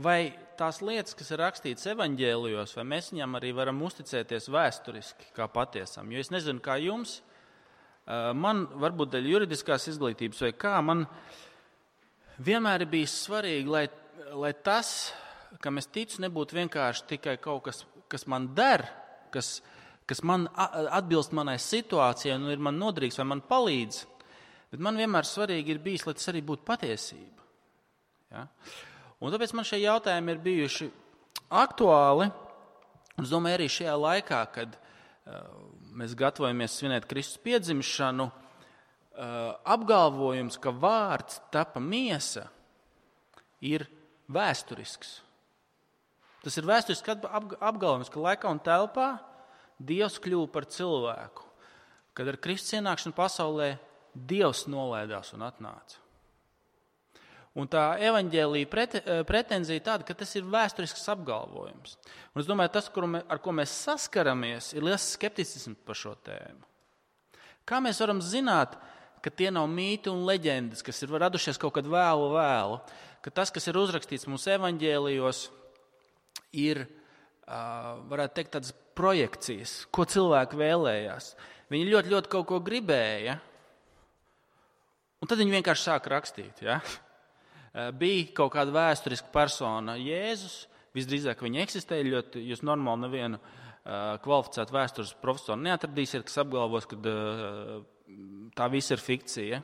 vai tās lietas, kas ir rakstītas evaņģēlijos, vai mēs viņam arī varam uzticēties vēsturiski kā patiesam? Jo es nezinu, kā jums, man varbūt dēļ juridiskās izglītības vai kā, man vienmēr ir bijis svarīgi, lai tas, kam es ticu, nebūtu vienkārši tikai kaut kas, kas man der, kas man atbilst manai situācijai un ir man noderīgs vai man palīdz, bet man vienmēr svarīgi ir bijis, lai tas arī būtu patiesība. Ja? Un tāpēc man šie jautājumi ir bijuši aktuāli, un es domāju arī šajā laikā, kad mēs gatavojamies svinēt Kristus piedzimšanu, apgalvojums, ka vārds tapa miesa, ir vēsturisks. Tas ir vēsturisks apgalvojums, ka laikā un telpā Dievs kļuva par cilvēku. Kad ar Kristus ienākšanu pasaulē Dievs nolaidās un atnāca. Un tā evaņģēlija pretenzija tāda, ka tas ir vēsturisks apgalvojums. Un es domāju, tas, ar ko mēs saskaramies, ir liels skepticisms par šo tēmu. Kā mēs varam zināt, ka tie nav mīti un leģendas, kas ir radušies kaut kad vēlu, ka tas, kas ir uzrakstīts mūsu evaņģēlijos, ir, varētu teikt, tādas projekcijas, ko cilvēki vēlējās. Viņi ļoti, ļoti kaut ko gribēja, un tad viņi vienkārši sāka rakstīt. Ja? Bija kaut kāda vēsturiska persona, Jēzus, visdrīzāk viņa eksistēja, ļoti, jūs normāli nevienu kvalificētu vēstures profesoru neatradīsiet, kas apgalvos, ka tā viss ir fikcija.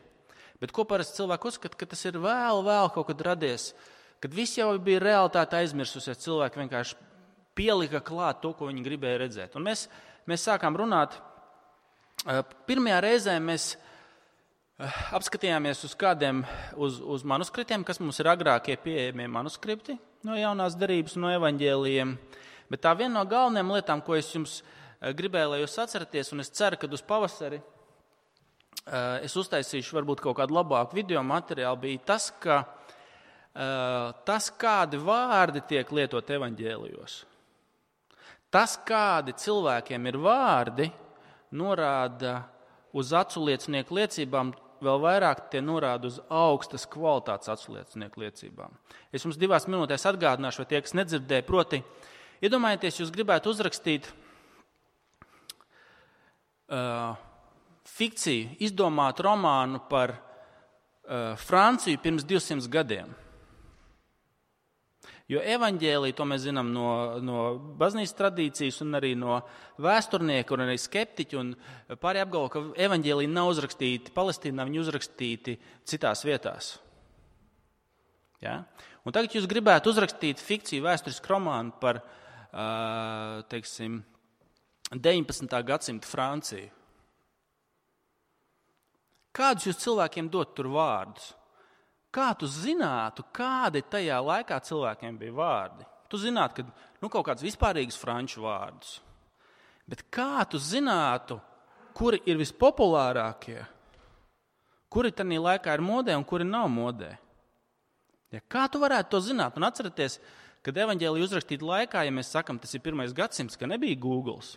Bet ko parasti cilvēki uzskata, ka tas ir vēl kaut kad radies, kad viss jau bija realitāte aizmirsusies, cilvēki vienkārši pielika klāt to, ko viņi gribēja redzēt. Un mēs sākām runāt, pirmajā reizē mēs apskatījāmies uz manuskriptiem, kas mums ir agrākie pieejamie manuskripti no jaunās derības, no evaņģēlijiem. Bet tā viena no galvenajām lietām, ko es jums gribēju, lai jūs atceraties, un es ceru, ka uz pavasari es uztaisīšu varbūt kaut kādu labāku video materiālu, bija tas, ka tas, kādi vārdi tiek lietot evaņģēlijos, tas, kādi cilvēkiem ir vārdi, norāda uz aculiecinieku liecībām, vēl vairāk tie norāda uz augstas kvalitātes aculiecinieku liecībām. Es jums 2 minūtēs atgādināšu, vai tie, kas nedzirdēja, proti, iedomājieties, jūs gribētu uzrakstīt fikciju, izdomāt romānu par Franciju pirms 200 gadiem. Jo evaņģēlija, to mēs zinām no baznīcas tradīcijas un arī no vēsturnieku un arī skeptiķu, un pārējie apgalvo, ka evaņģēlija nav uzrakstīti Palestīnā, viņi uzrakstīti citās vietās. Ja? Un tagad jūs gribētu uzrakstīt fikciju vēsturisku romānu par, teiksim, 19. gadsimta Franciju. Kādus jūs cilvēkiem dot tur vārdus? Kā tu zinātu, kādi tajā laikā cilvēkiem bija vārdi? Tu zinātu, ka kaut kāds vispārīgs franču vārdus. Bet kā tu zinātu, kuri ir vispopulārākie, kuri tajā laikā ir modē un kuri nav modē? Ja, kā tu varētu to zināt? Un atcerieties, kad evaņģēlija uzrakstīta laikā, ja mēs sakam, tas ir 1. gadsimts, ka nebija Googles,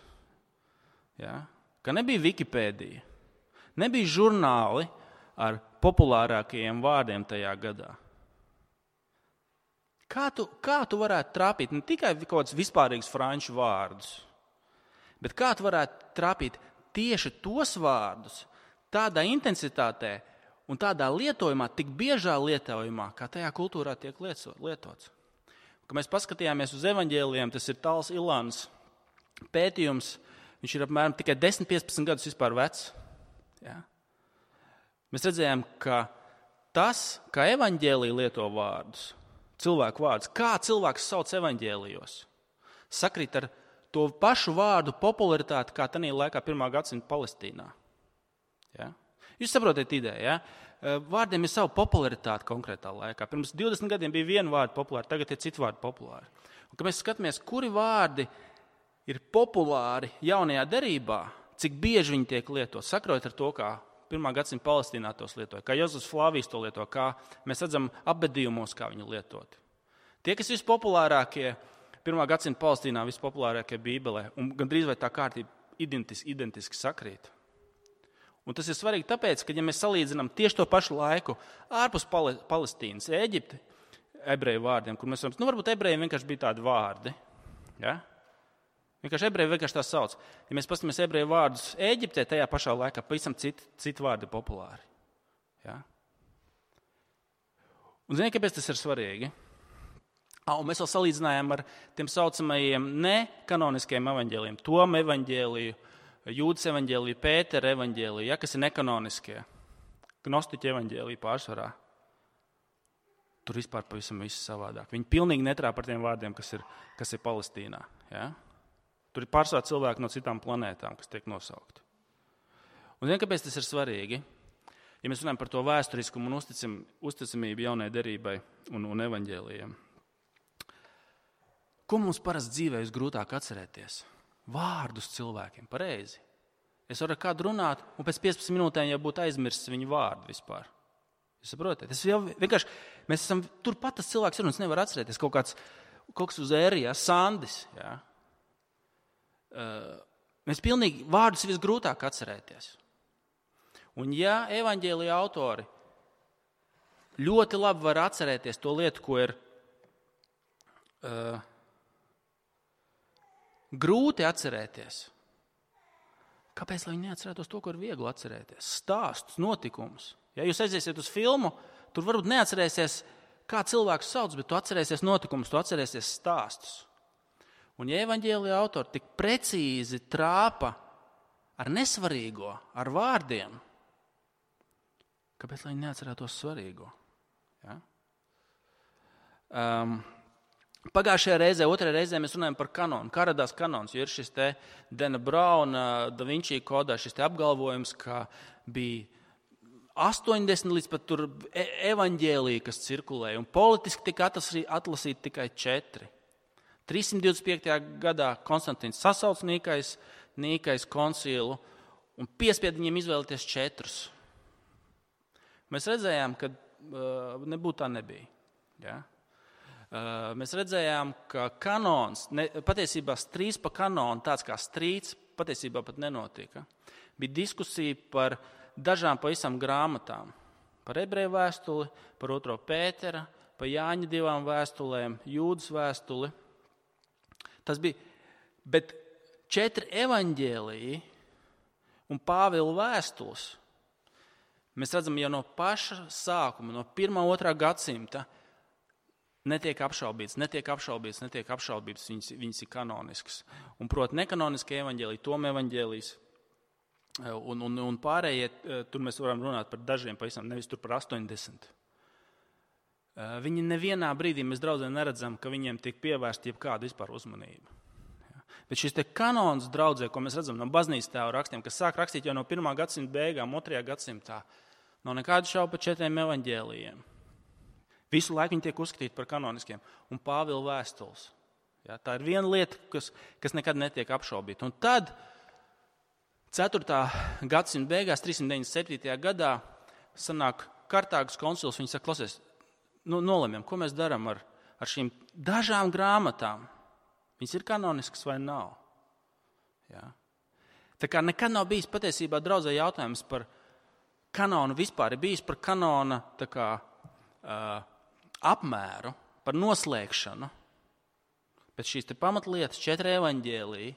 ja? Ka nebija Wikipēdija, nebija žurnāli ar populārākajiem vārdiem tajā gadā. Kā tu varētu trāpīt ne tikai kaut kādus vispārīgus franču vārdus, bet kā tu varētu trāpīt tieši tos vārdus tādā intensitātē un tādā lietojumā, tik biežā lietojumā, kā tajā kultūrā tiek lietots. Kad mēs paskatījāmies uz evaņģēlijiem, tas ir Tals Ilāns pētījums, viņš ir apmēram tikai 10-15 gadus vispār vecs. Ja? Mēs redzējām, ka tas, kā evaņģēlija lieto vārdus, cilvēku vārdus, kā cilvēks sauc evaņģēlijos, sakrīt ar to pašu vārdu popularitāti, kā tajā laikā 1. gadsimta Palestīnā. Ja? Jūs saprotat ideju, ja? Vārdiem ir savu popularitāti konkrētā laikā. Pirms 20 gadiem bija viena vārda populāra, tagad ir citi vārdi populāri. Un, kad mēs skatāmies, kuri vārdi ir populāri jaunajā derībā, cik bieži viņi tiek lietot, sakrojot ar to, kā 1. gadsimta Palestīnā tos lietoja, kā Jozefs Flāvijs to lieto, kā mēs redzam apbedījumos, kā viņi lietot. Tie, kas vispopulārākie 1. gadsimta Palestīnā, vispopulārākie Bībelē, un gandrīz vai tā kārtība identiski sakrīt. Un tas ir svarīgi tāpēc, ka, ja mēs salīdzinām tieši to pašu laiku ārpus Palestīnas, Ēģipti, ebreju vārdiem, kur mēs varam, varbūt ebrejiem vienkārši bija tādi vārdi. Ja? Vienkārši ebreji vienkārši tā sauc. Ja mēs paskatāmies ebreju vārdus Ēģiptē, tajā pašā laikā pavisam citi vārdi populāri. Ja? Un ziniet, kāpēc tas ir svarīgi? Un mēs vēl salīdzinājām ar tiem saucamajiem nekanoniskiem evaņģēlijiem. Toma evaņģēliju, Jūdas evaņģēliju, Pētera evaņģēliju, ja, kas ir nekanoniskie. Gnostiķu evaņģēliju pārsvarā. Tur vispār pavisam viss savādāk. Viņi pilnīgi netrā par tiem vārdiem, kas ir Palestīnā. Ja? Tur ir pārsvarā cilvēki no citām planētām, kas tiek nosaukti. Un ziniet, kāpēc tas ir svarīgi? Ja mēs runājam par to vēsturiskumu un uzticamību jaunai derībai un evaņģēlijiem. Ko mums parasti dzīvē grūtāk atcerēties? Vārdus cilvēkiem, pareizi. Es varu ar kādu runāt, un pēc 15 minūtēm jau būtu aizmirsts viņu vārdu vispār. Jūs saprotat? Tas jau vienkārši, mēs esam turpat tas cilvēks ir, un es nevaru atcerēties kaut kas uz ērija, Sandis. Ja? Mēs pilnīgi vārdus visgrūtāk atcerēties. Un ja evaņģēlija autori ļoti labi var atcerēties to lietu, ko ir grūti atcerēties, kāpēc lai viņi neatcerētos to, ko ir viegli atcerēties? Stāstus, notikumus. Ja jūs aiziesiet uz filmu, tur varbūt neatcerēsies, kā cilvēks sauc, bet tu atcerēsies notikumus, tu atcerēsies stāstus. Un ja evaņģēlija autori tik precīzi trāpa ar nesvarīgo, ar vārdiem, kāpēc lai viņi neatcerētos svarīgo? Ja? Pagājušajā reizē, otrajā reizē mēs runājam par kanonu. Kā radās kanons? Jo ir šis te Dana Brauna, Da Vinci kodā, šis te apgalvojums, ka bija 80 līdz pat tur evaņģēlija, kas cirkulēja, un politiski tika atlasīti tikai 4. 325. gadā Konstantīns sasauc Nīkais koncilu un piespied viņiem izvēlēties 4. Mēs redzējām, ka nebūtu tā nebija. Ja? Mēs redzējām, ka kanons, patiesībā strīds pa kanonu, tāds kā strīds, patiesībā pat nenotika. Bija diskusija par dažām pavisam grāmatām. Par ebreju vēstuli, par 2. Pētera, par Jāņa 2 vēstulēm, Jūdas vēstuli. Tas bija, bet 4 evaņģēliji un Pāvila vēstules. Mēs redzam jau no paša sākuma, no 1. un 2. gadsimta, netiek apšaubīts, viņas ir kanoniskas. Un, proti, nekanoniskie evaņģēliji, Toma evaņģēlijs un pārējie, tur mēs varam runāt par dažiem pavisam, nevis tur par 80. Viņi nevienā brīdī mēs draudzē neredzam, ka viņiem tiek pievērsta jebkāda vispār uzmanība. Bet šis te kanons draudzē, ko mēs redzam no baznīcas tēvu rakstiem, kas sāk rakstīt jau no 1. gadsimta beigām, 2. gadsimtā, nav nekādu šaubu par 4 evaņģēlijiem. Visu laiku viņi tiek uzskatīti par kanoniskiem. Un Pāvila vēstules. Ja, tā ir viena lieta, kas nekad netiek apšaubīta. Un tad 4. gadsimta beigās, 397. gadā, sanāk Kartāgas koncils, viņi saka, klausies, nolemjam, ko mēs darām ar šīm dažām grāmatām. Viņas ir kanoniskas vai nav? Ja. Tā kā nekad nav bijis patiesībā draudzē jautājums par kanonu vispār, ir bijis par kanona tā kā apmēru, par noslēgšanu. Bet šīs te pamatlietas, 4 evaņģēliji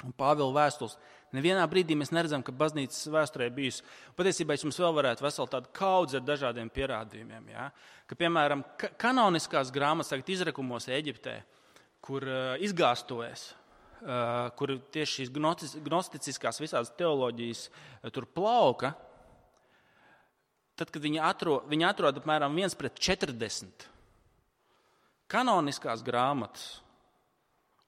un Pāvila vēstules, nevienā brīdī mēs neredzam, ka baznīcas vēsturē bijusi. Patiesībā mums vēl varētu veselu tādu kaudzi ar dažādiem pierādījumiem. Ja? Ka, piemēram, kanoniskās grāmatas tagad izrakumos Eģiptē, kur izgāstojas, kur tieši šīs gnosticiskās visādas teoloģijas tur plauka, tad, kad viņi atrod apmēram 1:40 kanoniskās grāmatas,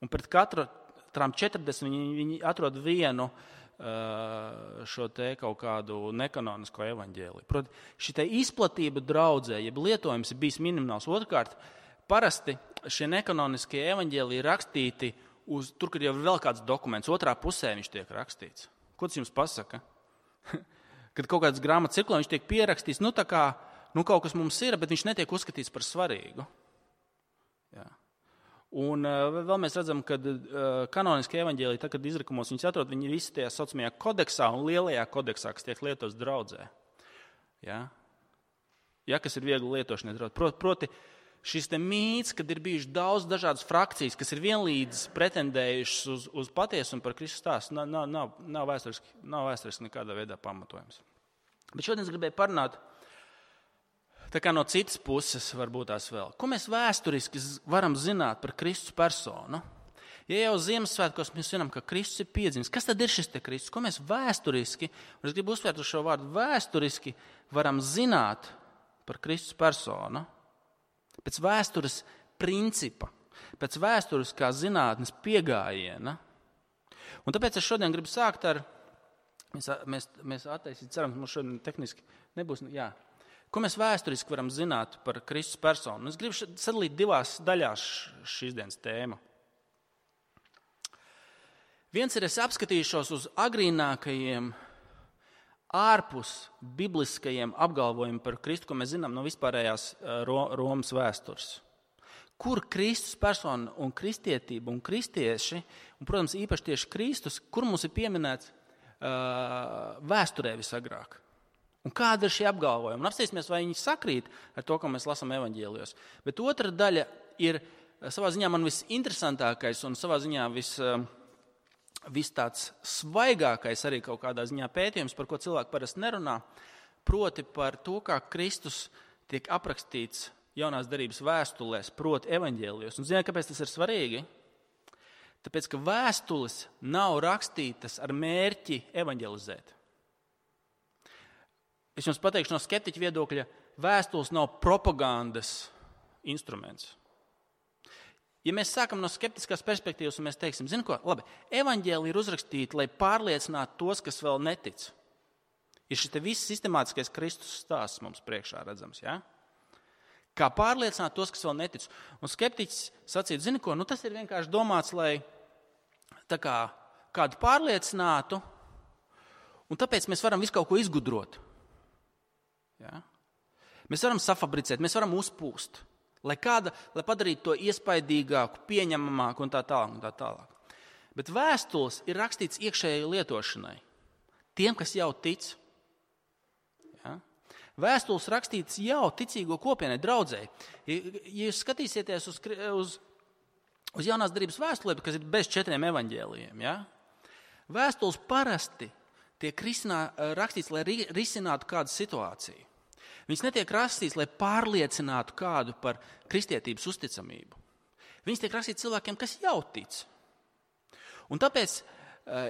un pret katrām 40 viņi atrod vienu šo te kaut kādu nekanonisko evaņģēliju. Proti, šī izplatība draudzē, jeb lietojums ir bijis minimāls. Otrkārt, parasti šie nekanoniskie evaņģēliji ir rakstīti tur, kad jau ir vēl kāds dokuments, otrā pusē viņš tiek rakstīts. Ko tas jums pasaka? Kad kaut kādas grāmatas cirkulē, viņš tiek pierakstīts, kaut kas mums ir, bet viņš netiek uzskatīts par svarīgu. Jā. Un vēl mēs redzam, ka kanoniskie evaņģēliji, tad, kad izrakumos viņus atrod, viņi visi tajā saucamajā kodeksā un lielajā kodeksā, kas tiek lietots draudzē. Ja, kas ir viegli lietošanai. Proti, šis te mīts, kad ir bijuši daudz dažādas frakcijas, kas ir vienlīdz pretendējušas uz patiesumu par Kristus stāstu, nav vēsturiski nekādā veidā pamatojams. Bet šodien es gribēju parunāt tā kā no citas puses, varbūt tās vēl. Ko mēs vēsturiski varam zināt par Kristus personu? Ja jau Ziemassvētkos mēs zinām, ka Kristus ir piedzimis, kas tad ir šis te Kristus? Ko mēs vēsturiski, un es gribu uzsvērt uz šo vārdu, vēsturiski varam zināt par Kristus personu? Pēc vēstures principa, pēc vēstures kā zinātnes piegājiena. Un tāpēc es šodien gribu sākt ar, mēs attaisīt, ceram, ka mums šodien tehniski nebūs, jā. Ko mēs vēsturiski varam zināt par Kristus personu? Es gribu sadalīt divās daļās šīs dienas tēmu. Viens ir, es apskatīšos uz agrīnākajiem ārpus bibliskajiem apgalvojumiem par Kristu, ko mēs zinām no vispārējās Romas vēstures. Kur Kristus persona un kristietība un kristieši, un, protams, īpaši tieši Kristus, kur mums ir pieminēts vēsturē visagrāk. Un kāda ir šie apgalvojumi? Un apstāsimies, vai viņi sakrīt ar to, ko mēs lasām evaņģēlijos. Bet otra daļa ir savā ziņā man visinteresantākais un savā ziņā vis tāds svaigākais arī kaut kādā ziņā pētījums, par ko cilvēki parasti nerunā, proti par to, kā Kristus tiek aprakstīts jaunās derības vēstulēs, proti evaņģēlijos. Un zināt, kāpēc tas ir svarīgi? Tāpēc, ka vēstules nav rakstītas ar mērķi evaņģelizēt. Es jums pateikšu no skeptiķa viedokļa, vēstules nav propagandas instruments. Ja mēs sākam no skeptiskās perspektīvas un mēs teiksim, zini ko, labi, evaņģēlija ir uzrakstīta, lai pārliecinātu tos, kas vēl netic. Ir šis te viss sistemātiskais Kristus stāsts mums priekšā redzams, ja? Kā pārliecināt tos, kas vēl netic. Un skeptiķis sacīt, zini ko, tas ir vienkārši domāts, lai tā kā kādu pārliecinātu, un tāpēc mēs varam visu kaut ko izgudrot. Ja? Mēs varam safabricēt, mēs varam uzpūst. Lai padarītu to iespaidīgāku, pieņemamāku un tā tālāk. Bet vēstules ir rakstīts iekšējai lietošanai. Tiem, kas jau tic. Ja? Vēstules rakstīts jau ticīgo kopienai, draudzēji. Ja jūs skatīsieties uz jaunās derības vēstulēm, kas ir bez 4 evaņģēlijiem, ja? Vēstules parasti tiek rakstīts, lai risinātu kādu situāciju. Viņas netiek rakstīts, lai pārliecinātu kādu par kristietības uzticamību. Viņas tiek rakstīts cilvēkiem, kas jau tic. Un tāpēc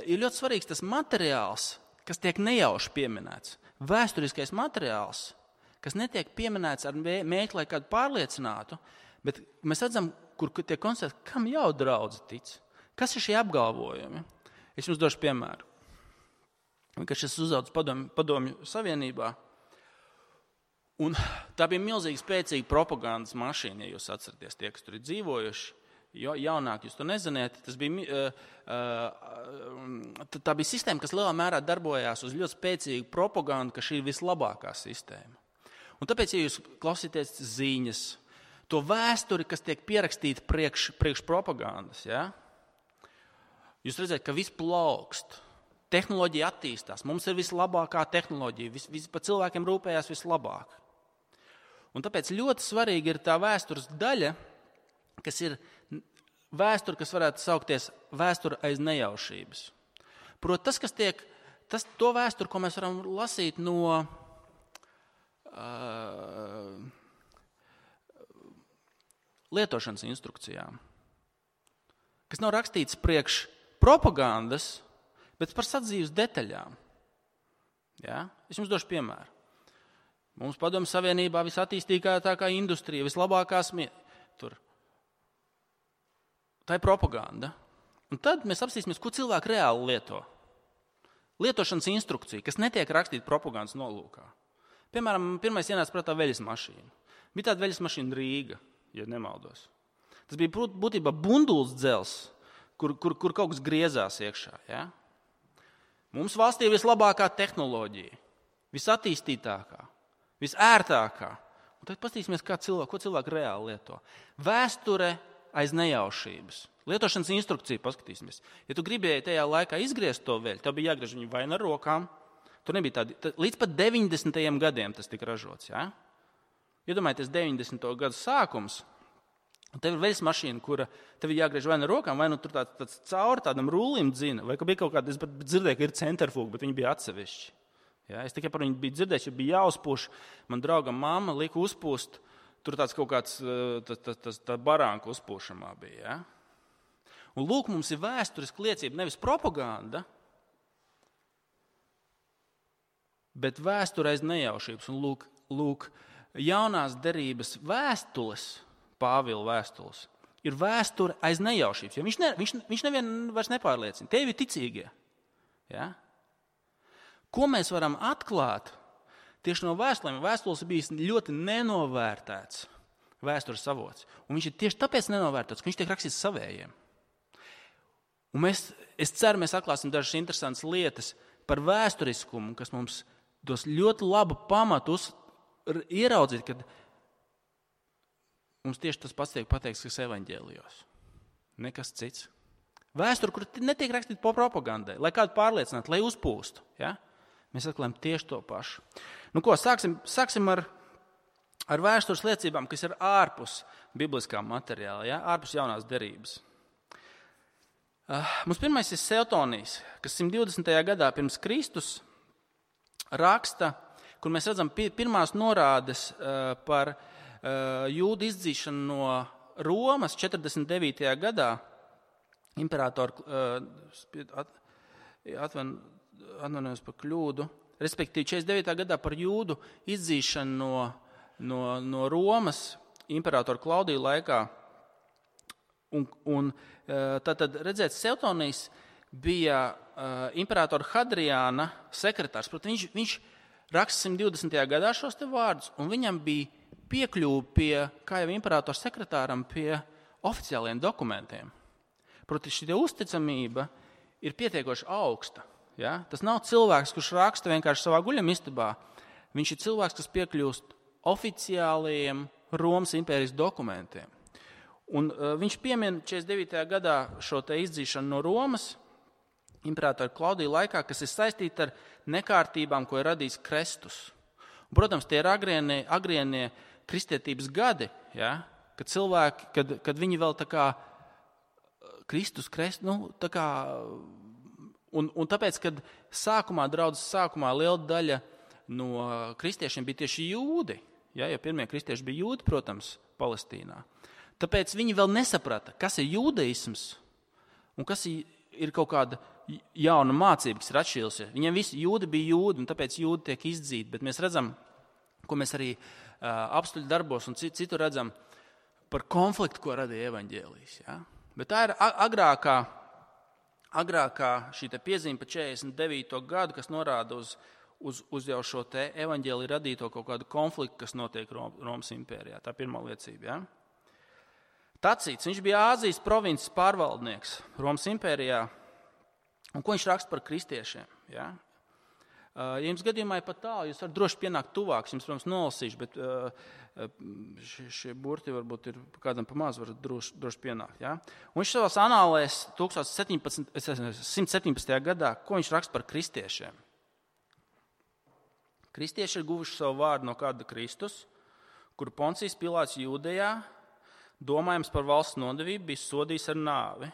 ir ļoti svarīgs tas materiāls, kas tiek nejauši pieminēts. Vēsturiskais materiāls, kas netiek pieminēts ar mērķi, lai kādu pārliecinātu, bet mēs redzam, kur tiek konstatēts, kam jau draudze tic. Kas ir šie apgalvojumi? Es jums došu piemēru. Vienkārši es uzaugu padomju savienībā. Un tā bija milzīgi spēcīga propagandas mašīna, ja jūs atceraties tie, kas tur ir dzīvojuši. Jaunāk jūs to neziniet. Tā bija sistēma, kas lielā mērā darbojās uz ļoti spēcīgu propagandu, ka šī ir vislabākā sistēma. Un tāpēc, ja jūs klausīties ziņas, to vēsturi, kas tiek pierakstīta priekš propagandas, ja? Jūs redzat, ka viss plaukst. Tehnoloģija attīstās. Mums ir vislabākā tehnoloģija. Par cilvēkiem rūpējās vislabāk. Un tāpēc ļoti svarīgi ir tā vēstures daļa, kas ir vēsture, kas varētu saukties vēsture aiz nejaušības. Proti, to vēsturi, ko mēs varam lasīt no lietošanas instrukcijām, kas nav rakstīts priekš propagandas, bet par sadzīves detaļām. Ja? Es jums došu piemēru. Mums padomju savienībā visattīstīgākā industrija, vislabākās tur. Tā ir propaganda. Un tad mēs apstīsimies, ko cilvēki reāli lieto. Lietošanas instrukcija, kas netiek rakstīta propagandas nolūkā. Piemēram, pirmais ienāca prātā veļas mašīna. Bija tāda veļas mašīna Rīga, ja nemaldos. Tas bija būtībā bunduls dzels, kur kaut kas griezās iekšā. Ja? Mums valstī ir vislabākā tehnoloģija, visattīstītākā. Visērtākā. Un tad paskatīsimies, ko cilvēki reāli lieto. Vēsture aiz nejaušības. Lietošanas instrukcija paskatīsimies. Ja tu gribēji tajā laikā izgriezt to veļu, tev bija jāgriež viņu vai ar rokām. Tur nebija tādi. Līdz pat 90. gadiem tas tika ražots. Ja? Iedomājieties 90. gadu sākums, un tev ir veļas mašīna, kura tev ir jāgriež vai no rokām, vai nu tur tāds cauri tādam rullim dzina, vai ka bija kaut kāda, es dzirdēju, ka ir centrifūga, bet viņi bija atsevišķi. Ja? Es tikai par viņu biju dzirdējis, ja bija jāuzpūš, man draugam mamma lika uzpūst, tur tāds kaut kāds tā barānka uzpūšamā bija. Ja? Un lūk, mums ir vēsturiska liecība, nevis propaganda, bet vēsture aiz nejaušības. Un lūk, jaunās derības vēstules, Pāvila vēstules, ir vēsture aiz nejaušības. Jo viņš nevienu vairs nepārliecina. Tie ir ticīgie. Ja? Ko mēs varam atklāt tieši no vēstulēm? Vēstules ir bijis ļoti nenovērtēts vēstures avots. Un viņš ir tieši tāpēc nenovērtēts, ka viņš tiek rakstīts savējiem. Un es ceru, mēs atklāsim dažas interesantas lietas par vēsturiskumu, kas mums dos ļoti labu pamatu ieraudzīt, kad mums tieši tas pats tiek pateikts, kas evaņģēlijos. Nekas cits. Vēsture, kur netiek rakstīta po propagandai, lai kādu pārliecinātu, lai uzpūstu. Ja? Mēs atklājam tieši to pašu. Nu ko, sāksim ar vēstures liecībām, kas ir ārpus bibliskā materiāla, ja? Ārpus jaunās derības. Mums pirmais ir Seutonijs, kas 120. gadā pirms Kristus raksta, kur mēs redzam pirmās norādes par jūdu izdzīšanu no Romas 49. gadā. Imperātori atvainojos par kļūdu, respektīvi 49. gadā par jūdu izdzīšanu no Romas imperātora Klaudija laikā. Un tad redzēt, Seutonijs bija imperātora Hadriāna sekretārs. Protams, viņš raksta 120. gadā šos te vārdus, un viņam bija piekļuva pie, kā jau imperātora sekretāram, pie oficiāliem dokumentiem. Proti, šī uzticamība ir pietiekoši augsta. Ja? Tas nav cilvēks, kurš raksta vienkārši savā guļamistabā. Viņš ir cilvēks, kas piekļūst oficiālajiem Romas impērijas dokumentiem. Un viņš piemin 49. gadā šo te izdzīšanu no Romas imperātora Klaudija laikā, kas ir saistīta ar nekārtībām, ko ir radījis Kristus. Un, protams, tie ir agrienie kristietības gadi, ja? Kad cilvēki, kad viņi vēl tā kā Kristus, tā kā, un tāpēc, kad draudzes sākumā liela daļa no kristiešiem bija tieši jūdi, ja pirmie kristieši bija jūdi, protams, Palestīnā. Tāpēc viņi vēl nesaprata, kas ir jūdaisms un kas ir kaut kāda jauna mācība, kas ir atšķīrusies. Viņiem visi jūdi bija jūdi, un tāpēc jūdi tiek izdzīti, bet mēs redzam, ko mēs arī apstuļu darbos un citur redzam par konfliktu, ko radīja evaņģēlijs. Ja? Bet tā ir agrākā šī te piezīme par 49. gadu, kas norāda uz jau šo te evaņģēliju radīto kaut kādu konfliktu, kas notiek Romas impērijā. Tā pirmā liecība. Ja? Tacīts, viņš bija Āzijas provinces pārvaldnieks Romas impērijā, un ko viņš raksta par kristiešiem. Ja? Ja jums gadījumā ir pat tālu, jūs varat droši pienākt tuvāk, jums, protams, nolasīšu, bet šie burti varbūt ir kādam pamaz, varat droši pienākt. Ja? Un viņš savās anālēs 117. gadā, ko viņš raksta par kristiešiem. Kristieši ir guvuši savu vārdu no kāda Kristus, kuru Poncijas Pilāts Jūdejā, domājams par valsts nodevību, bija sodījis ar nāvi.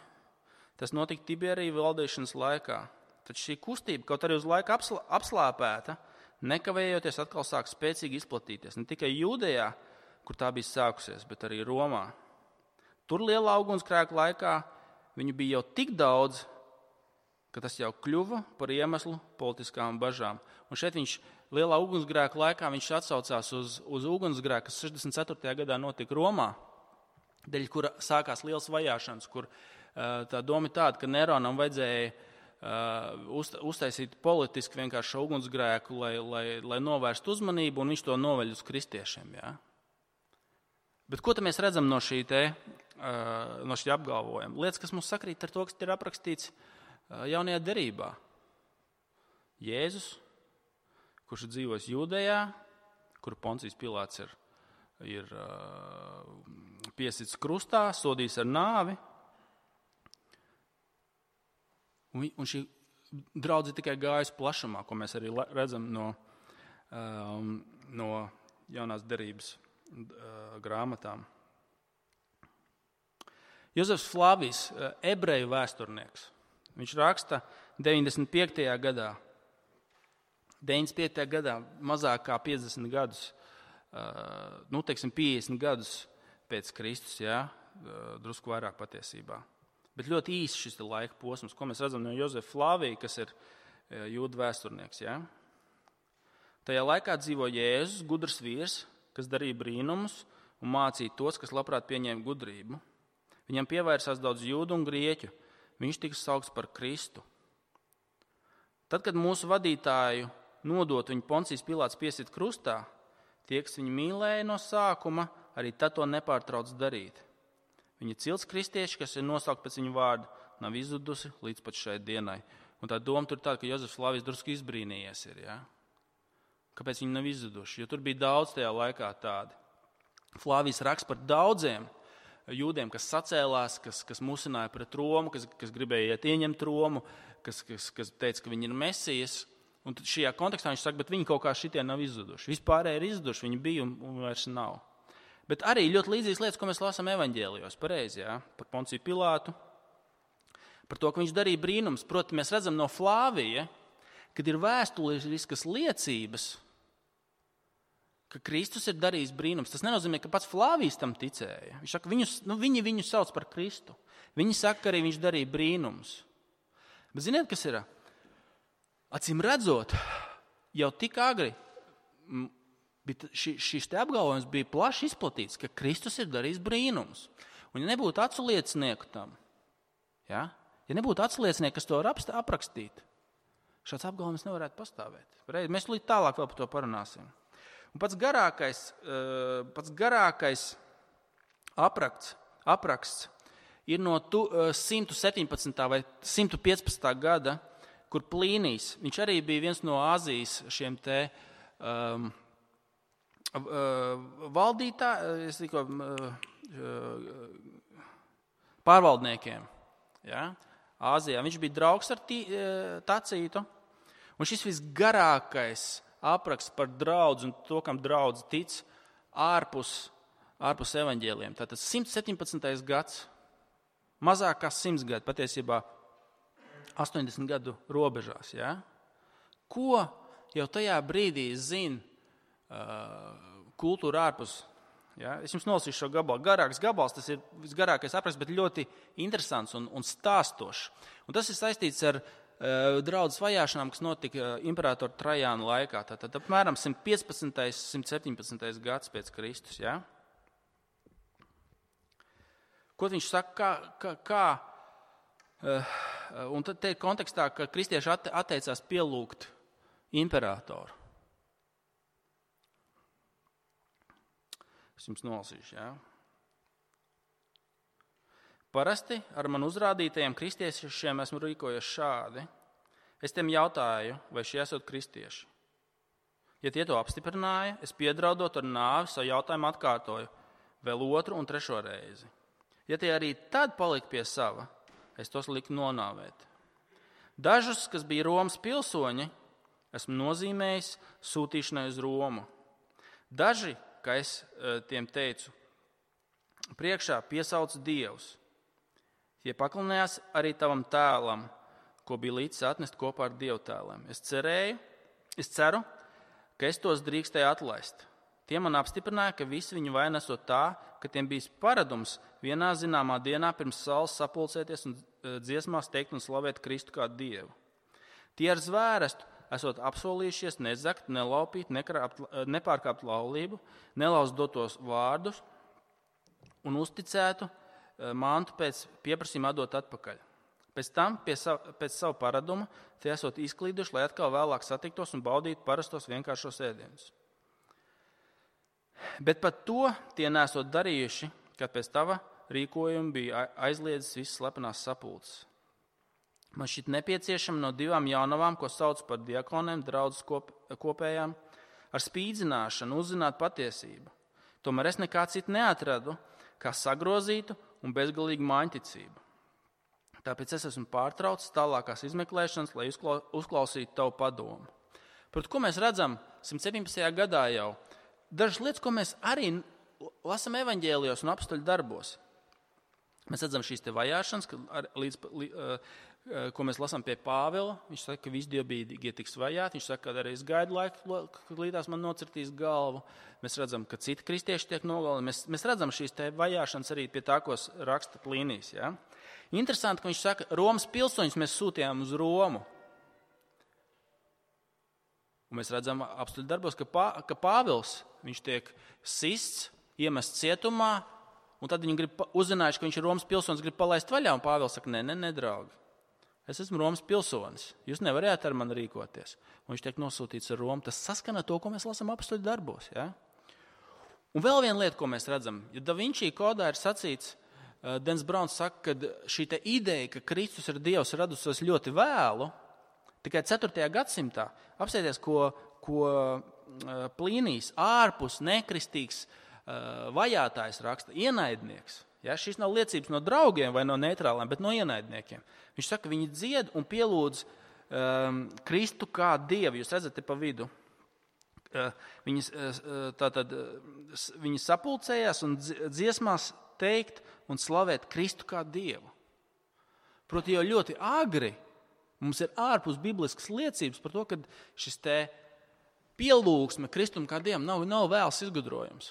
Tas notika Tiberija valdīšanas laikā. Taču šī kustība, kaut arī uz laiku apslāpēta, nekavējoties atkal sāk spēcīgi izplatīties. Ne tikai Jūdejā, kur tā bija sākusies, bet arī Romā. Tur lielā ugunsgrēka laikā viņu bija jau tik daudz, ka tas jau kļuva par iemeslu politiskām bažām. Un šeit viņš lielā ugunsgrēka laikā viņš atsaucās uz ugunsgrēku, kas 64. gadā notika Romā, dēļ kura sākās liels vajāšanas, kur tā doma ir tāda, ka Neronam vajadzēja uztaisīt politiski vienkārši ugunsgrēku, lai novērstu uzmanību, un viņš to noveļ uz kristiešiem. Ja? Bet ko tad mēs redzam no šī apgalvojuma? Lietas, kas mums sakrīt ar to, kas ir aprakstīts jaunajā derībā. Jēzus, kurš ir dzīvojis Jūdejā, kuru Poncijas Pilāts ir piesits krustā, sodījis ar nāvi. Un šī draudze tikai gājas plašumā, ko mēs arī redzam no jaunās derības grāmatām. Jozefs Flāvijs, ebreju vēsturnieks, viņš raksta 95. gadā. 95. gadā mazāk kā 50 gadus, 50 gadus pēc Kristus, drusku vairāk patiesībā. Bet ļoti īsts šis laika posms, ko mēs redzam no Jozefa Flāvija, kas ir jūdu vēsturnieks. Tajā laikā dzīvo Jēzus, gudrs vīrs, kas darīja brīnumus un mācīja tos, kas labprāt pieņēma gudrību. Viņam pievērsās daudz jūdu un grieķu. Viņš tika saukts par Kristu. Tad, kad mūsu vadītāju nodot viņu Poncijas Pilāts piesit krustā, tie, kas viņu mīlēja no sākuma, arī tad to nepārtrauc darīt. Viņa cilts kristieši, kas ir nosaukt pēc viņa vārda, nav izzudusi līdz pat šai dienai. Un tā doma tur tāda, ka Jozefs Flāvijs drusku izbrīnījies ir. Kāpēc viņi nav izzuduši? Jo tur bija daudz tajā laikā tādi. Flāvijs raksta par daudziem jūdiem, kas sacēlās, kas musināja pret Romu, kas gribēja iet ieņemt Romu, kas teica, ka viņi ir Mesijas. Un tad šajā kontekstā viņš saka, bet viņi kaut kā šitie nav izzuduši. Vispārēji ir izzuduši, viņi bija un vairs nav. Bet arī ļoti līdzīgas lietas, ko mēs lasām evaņģēlijos, pareizi, par Ponciju Pilātu, par to, ka viņš darīja brīnums. Proti, mēs redzam no Flāvija, kad ir vēsturiskas liecības, ka Kristus ir darījis brīnums. Tas nenozīmē, ka pats Flāvijs tam ticēja. Viņš saka, viņi viņu sauc par Kristu. Viņi saka, ka arī viņš darīja brīnums. Bet ziniet, kas ir? Acīm redzot, jau tik agri šis te apgalvojums bija plaši izplatīts, ka Kristus ir darījis brīnums. Un ja nebūtu aculiecinieku tam, ja nebūtu aculiecinieku, kas to var aprakstīt, šāds apgalvojums nevarētu pastāvēt. Mēs līdz tālāk vēl par to parunāsim. Un pats garākais apraksts ir no 117. vai 115. gada, kur Plīnijs, viņš arī bija viens no Āzijas šiem te pārvaldniekiem. Āzijā. Viņš bija draugs ar Tacītu. Un šis visgarākais apraksts par draudzi un to, kam draudzi tic, ārpus evaņģēliem. Tātad 117. gads, mazāk kā 100 gadi, patiesībā 80 gadu robežās. Ko jau tajā brīdī zina kultūra ārpus? Es jums nolasīšu šo gabalu. Garāks gabals, tas ir visgarākais apraksts, bet ļoti interesants un stāstošs. Un tas ir saistīts ar draudzes vajāšanām, kas notika imperatora Trajāna laikā. Tātad apmēram 115. 117. gads pēc Kristus. Ko viņš saka, un tad te ir kontekstā, ka kristieši atteicās pielūgt imperatoru. Es jums nolasīšu, Parasti ar man uzrādītajiem kristiešiem esmu rīkojies šādi. Es tiem jautāju, vai šie esot kristieši. Ja tie to apstiprināja, es piedraudot ar nāvi savu jautājumu atkārtoju vēl 2. un 3. reizi. Ja tie arī tad palika pie sava, es tos liku nonāvēt. Dažus, kas bija Romas pilsoņi, esmu nozīmējis sūtīšanai uz Romu. Daži, kā es tiem teicu, priekšā piesauc dievus. Tie paklinājās arī tavam tēlam, ko bija līdz atnest kopā ar dievu tēliem. Es ceru, ka es tos drīkstēju atlaist. Tie man apstiprināja, ka visi viņu vaina esot tā, ka tiem bijis paradums vienā zināmā dienā pirms saules sapulcēties un dziesmās teikt un slavēt Kristu kā dievu. Tie ar zvērestu esot apsolījušies nezakt, nelaupīt, nepārkāpt laulību, nelauzt dotos vārdus un uzticētu mantu pēc pieprasījuma atdot atpakaļ. Pēc tam, pēc savu paradumu, tie esot izklīduši, lai atkal vēlāk satiktos un baudītu parastos vienkāršos ēdienus. Bet pat to tie nesot darījuši, kad pēc tava rīkojuma bija aizliedzis visas slepenās sapulces. Man šķiet nepieciešama no 2 jaunavām, ko sauc par diakoniem, draudzes kopējām, ar spīdzināšanu uzzināt patiesību. Tomēr es nekā citu neatradu, kā sagrozītu un bezgalīgu māņticību. Tāpēc es esmu pārtraucis tālākās izmeklēšanas, lai uzklausītu tavu padomu. Proti, ko mēs redzam 117. gadā jau? Dažas lietas, ko mēs arī lasam evaņģēlijos un apustuļu darbos. Mēs redzam šīs te vajāšanas, ko mēs lasām pie Pāvila. Viņš saka, ka visi dievbijīgie tiks vajāti. Viņš saka, ka arī es gaidu laiku, kad līdās man nocirtīs galvu. Mēs redzam, ka citi kristieši tiek nogalināti. Mēs redzam šīs te vajāšanas arī pie tā, ko raksta Plīnijs. Ja? Interesanti, ka viņš saka, Romas pilsoņus mēs sūtījām uz Romu. Un mēs redzam apustuļu darbos, ka Pāvils, viņš tiek sists, iemests cietumā, un tad viņi grib uzzinājuši, ka viņš ir Romas pilsonis, grib palaist vaļā, un Pāvils saka, ne, draugi. Es esmu Romas pilsonis, jūs nevarējāt ar mani rīkoties. Un viņš tiek nosūtīts ar Romu. Tas saskana to, ko mēs lasām apustuļu darbos. Ja? Un vēl viena lieta, ko mēs redzam, ja Da Vinci kodā ir sacīts, Dens Brauns saka, ka šī te ideja, ka Kristus ir Dievs, radusies ļoti vēlu, tikai 4. gadsimtā, apsēties, ko Plīnijs ārpus nekristīgs vajātājs raksta, ienaidnieks. Ja, šis nav liecības no draugiem vai no neitrāliem, bet no ienaidniekiem. Viņš saka, viņi dzied un pielūdz Kristu kā Dievu. Jūs redzat te pa vidu. Viņi sapulcējās un dziesmās teikt un slavēt Kristu kā Dievu. Proti, jau ļoti agri mums ir ārpus bibliskas liecības par to, ka šis te pielūgsme Kristum kā Dievam nav vēls izgudrojums.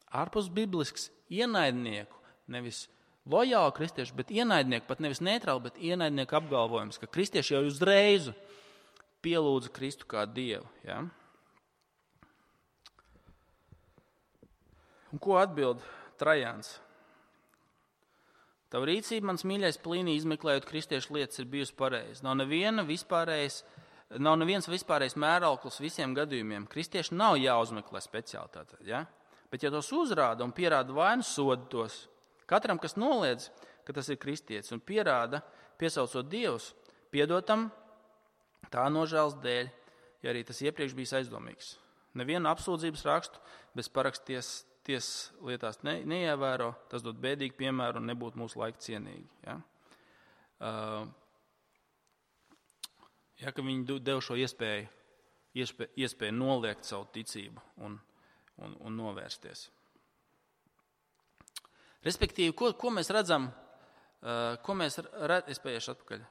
Ārpus biblisks ienaidnieku, nevis lojālu kristiešu, bet ienaidnieku, pat nevis neitrāli, bet ienaidnieku apgalvojums, ka kristieši jau uzreiz pielūdza Kristu kā Dievu. Ja? Un ko atbild Trajāns? Tava rīcība, mans mīļais Plīnij, izmeklējot kristiešu lietas, ir bijusi pareiza. Nav neviens vispārējais mērauklis visiem gadījumiem. Kristieši nav jāuzmeklē speciālitāte. Ja? Bet, ja tos uzrāda un pierāda vainu, soda tos. Katram, kas noliedz, ka tas ir kristietis un pierāda, piesaucot Dievus, piedotam tā nožēlas dēļ, ja arī tas iepriekš bijis aizdomīgs. Nevienu apsūdzības rakstu bez paraksties lietās neievēro, tas dod bēdīgu piemēru un nebūtu mūsu laika cienīgi. Ja? Ka viņi dev šo iespēju noliegt savu ticību un novērsties. Respektīvi, ko mēs redzam, es paiešu atpakaļ,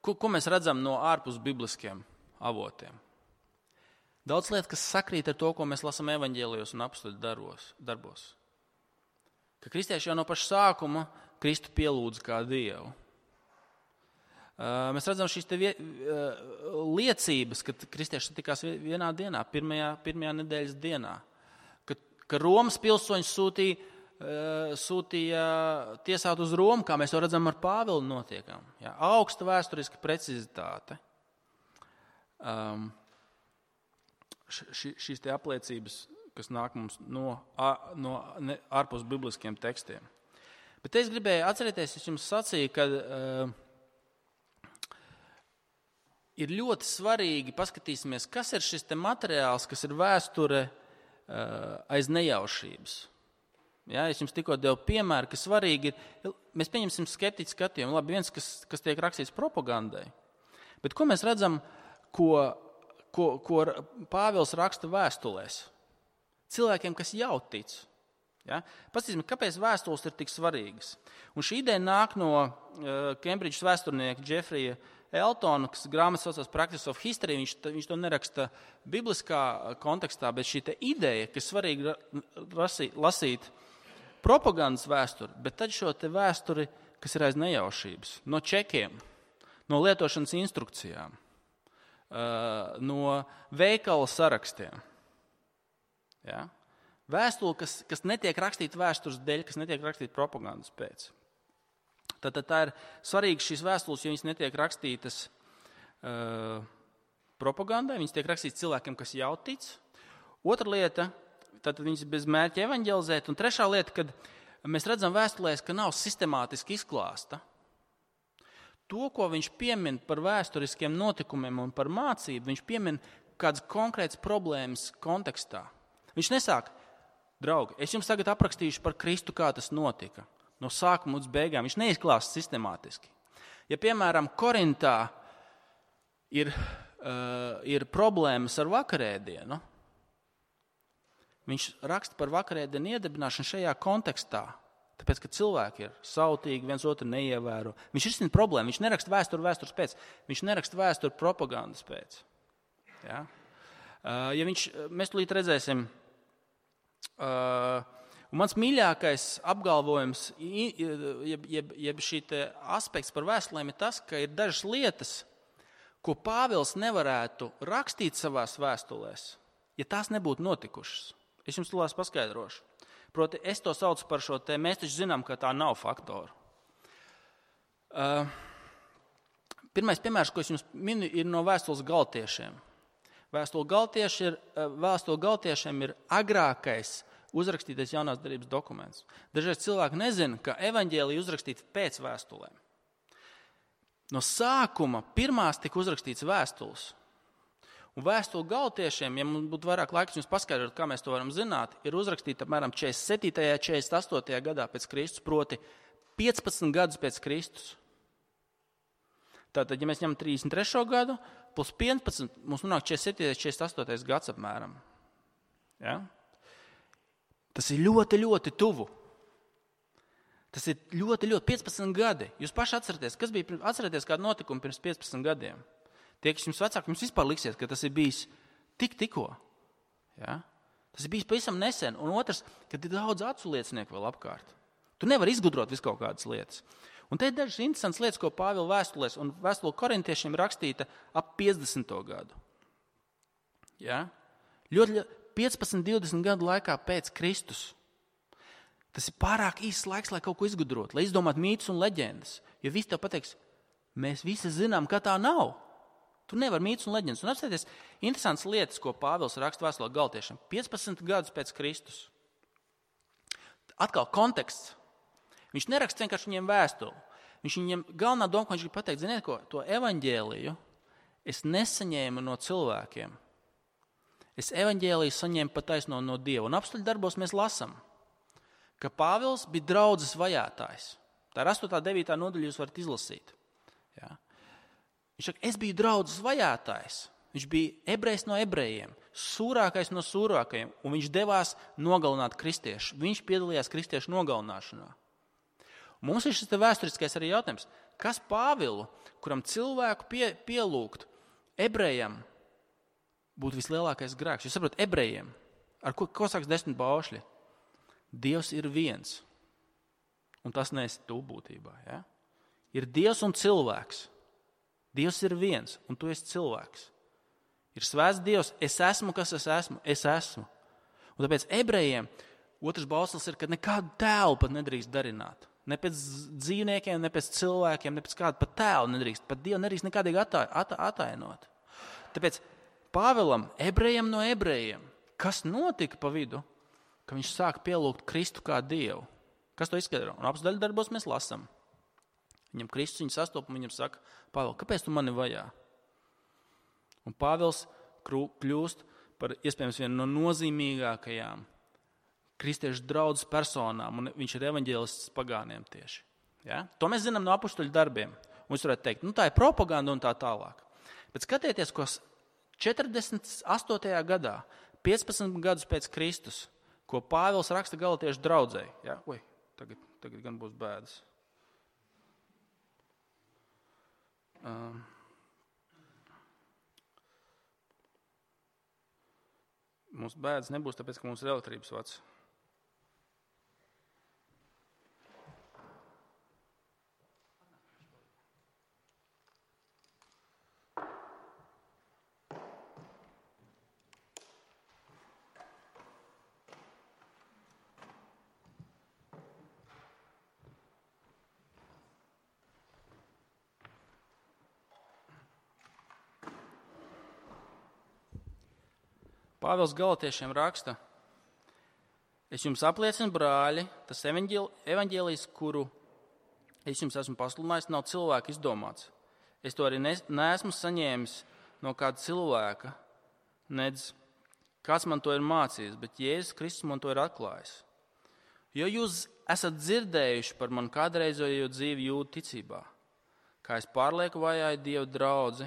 ko mēs redzam no ārpus bibliskiem avotiem? Daudz lietu, kas sakrīt ar to, ko mēs lasām evaņģēlijos un apustuļu darbos. Ka kristieši jau no paša sākuma Kristu pielūdz kā Dievu. Mēs redzam šīs te liecības, ka kristieši tikās vienā dienā, pirmajā nedēļas dienā, ka Romas pilsoņus sūtīja tiesāt uz Romu, kā mēs to redzam ar Pāvilu notiekam. Ja, augsta vēsturiska precizitāte. Šīs te apliecības, kas nāk mums no ārpus bibliskiem tekstiem. Bet es gribēju atcerēties, es jums sacīju, ka ir ļoti svarīgi paskatīsimies, kas ir šis te materiāls, kas ir vēsture aiz nejaušības. Ja, es jums tikko devu piemēru, ka svarīgi ir, mēs pieņemsim skeptiķu skatījumu, labi, viens, kas tiek rakstīts propagandai, bet ko mēs redzam, ko Pāvils raksta vēstulēs? Cilvēkiem, kas jau tic. Ja? Paskatīsim, kāpēc vēstules ir tik svarīgas. Un šī ideja nāk no Kembridžas vēsturnieka Džefrija Eltona, kas grāmatas saucās Practice of History. Viņš to neraksta bibliskā kontekstā, bet šī ideja, ka svarīgi lasīt propagandas vēsturi, bet tad šo te vēsturi, kas ir aiz nejaušības, no čekiem, no lietošanas instrukcijām, no veikala sarakstiem. Ja? Vēstule, kas netiek rakstīta vēstures dēļ, kas netiek rakstīta propagandas pēc. Tad tā ir svarīga šīs vēstules, jo viņas netiek rakstītas propagandai, viņas tiek rakstītas cilvēkiem, kas jau tic. Otra lieta, tad viņas bez mērķa evaņģelizēt. Un trešā lieta, kad mēs redzam vēstulēs, ka nav sistemātiski izklāsta. To, ko viņš piemin par vēsturiskiem notikumiem un par mācību, viņš piemin kādas konkrētas problēmas kontekstā. Viņš nesāk, draugi, es jums tagad aprakstīšu par Kristu, kā tas notika. No sākuma līdz beigām. Viņš neizklāsta sistemātiski. Ja, piemēram, Korintā ir problēmas ar vakarēdienu, viņš raksta par vakarēdienu iedibināšanu šajā kontekstā. Tāpēc, ka cilvēki ir sautīgi, viens otru neievēro. Viņš risina problēmu, viņš neraksta vēstures pēc, viņš neraksta vēsturi propagandas pēc. Ja? Mēs tūlīt redzēsim, un mans mīļākais apgalvojums, jeb šī aspekts par vēstulēm ir tas, ka ir dažas lietas, ko Pāvils nevarētu rakstīt savās vēstulēs, ja tās nebūtu notikušas. Es jums tūlīt paskaidrošu. Proti, es to saucu par šo te, mēs taču zinām, ka tā nav faktoru. Pirmais piemērs, ko es jums minu, ir no vēstules Galatiešiem. Vēstule Galatiešiem ir agrākais uzrakstītais jaunās derības dokuments. Dažreiz cilvēki nezina, ka evaņģēlija uzrakstīta pēc vēstulēm. No sākuma pirmās tika uzrakstīts vēstules. Un vēstule Galatiešiem, ja mums būtu vairāk laiks jums paskaidrot, kā mēs to varam zināt, ir uzrakstīta apmēram 47. 48. gadā pēc Kristus, proti 15 gadus pēc Kristus. Tātad, ja mēs ņemam 33. gadu, plus 15, mums nonāk 47. 48. gads apmēram. Ja? Tas ir ļoti, ļoti tuvu. Tas ir ļoti, ļoti 15 gadi. Jūs paši atcerieties kādu notikumu pirms 15 gadiem. Tie, kas jums vecāki, jums vispār liksies, ka tas ir bijis tikko. Ja? Tas ir bijis pavisam nesen. Un otrs, kad ir daudz acu liecinieku vēl apkārt. Tu nevari izgudrot visu kaut kādas lietas. Un te ir dažas interesantas lietas, ko Pāvila vēstulēs, un vēstule korintiešiem rakstīta ap 50. gadu. Ja? Ļoti 15-20 gadu laikā pēc Kristus. Tas ir pārāk īsts laiks, lai kaut ko izgudrotu, lai izdomātu mītus un leģendas. Jo visi tev pateiks, mēs visi zinām, ka tā nav. Tu nevari mītus un leģendas. Un apstāties interesantas lietas, ko Pāvils raksta vēstulē Galatiešiem. 15 gadus pēc Kristus. Atkal konteksts. Viņš neraksta vienkārši viņiem vēstuli. Viņiem galvenā doma, ko viņš grib pateikt, ziniet ko, to evaņģēliju es nesaņēmu no cilvēkiem. Es evaņģēliju saņēmu pataisno no Dieva. Un apstuļu darbos mēs lasam, ka Pāvils bija draudzes vajātājs. Tā ir 8. 9. nodaļa, jūs varat izlasīt. Ja? Viņš saka, es biju draudzes vajātājs. Viņš bija ebrejs no ebrejiem, sūrākais no sūrākajiem, un viņš devās nogalināt kristiešu. Viņš piedalījās kristiešu nogalināšanā. Un mums ir šis vēsturiskais arī jautājums, kas Pāvilu, kuram cilvēku pielūgt ebrejam, būtu vislielākais grēks? Jūs saprotat, ebrejiem, ar ko sāks 10 baušļi? Dievs ir viens, un tas neesi tu būtībā. Ja? Ir Dievs un cilvēks. Dievs ir viens, un tu esi cilvēks. Ir svēts Dievs, es esmu, kas es esmu. Un tāpēc ebrejiem otrs bauslis ir, ka nekādu tēlu pat nedrīkst darināt. Ne pēc dzīvniekiem, ne pēc cilvēkiem, ne pēc kāda pat tēlu nedrīkst. Pat Dievu nedrīkst nekādīgi atainot. Tāpēc Pāvilam, ebrejiem no ebrejiem, kas notika pa vidu, ka viņš sāk pielūgt Kristu kā Dievu? Kas to izskaidro? Un apstuļu darbos mēs lasām. Viņam Kristus viņu sastopa un viņam saka, Pāvils, kāpēc tu mani vajā? Un Pāvils kļūst par iespējams vienu no nozīmīgākajām kristiešu draudzes personām, un viņš ir evaņģēlists pagāniem tieši. Ja? To mēs zinām no apstuļu darbiem. Un jūs varētu teikt, tā ir propaganda un tā tālāk. Bet skatieties, ko 48. gadā, 15 gadus pēc Kristus, ko Pāvils raksta Galatiešu draudzei. Ja? Tagad gan būs bēdas. Mums bēdas nebūs, tāpēc, ka mums ir elektrības vats. Pāvils Galatiešiem raksta, es jums apliecinu, brāļi, tas evaņģēlijs, kuru es jums esmu pasludinājis, nav cilvēka izdomāts. Es to arī neesmu saņēmis no kāda cilvēka, nedz kāds man to ir mācījis, bet Jēzus Kristus man to ir atklājis. Jo jūs esat dzirdējuši par manu kādreizējo dzīvi jūdu ticībā, kā es pārlieku vajāju Dieva draudzi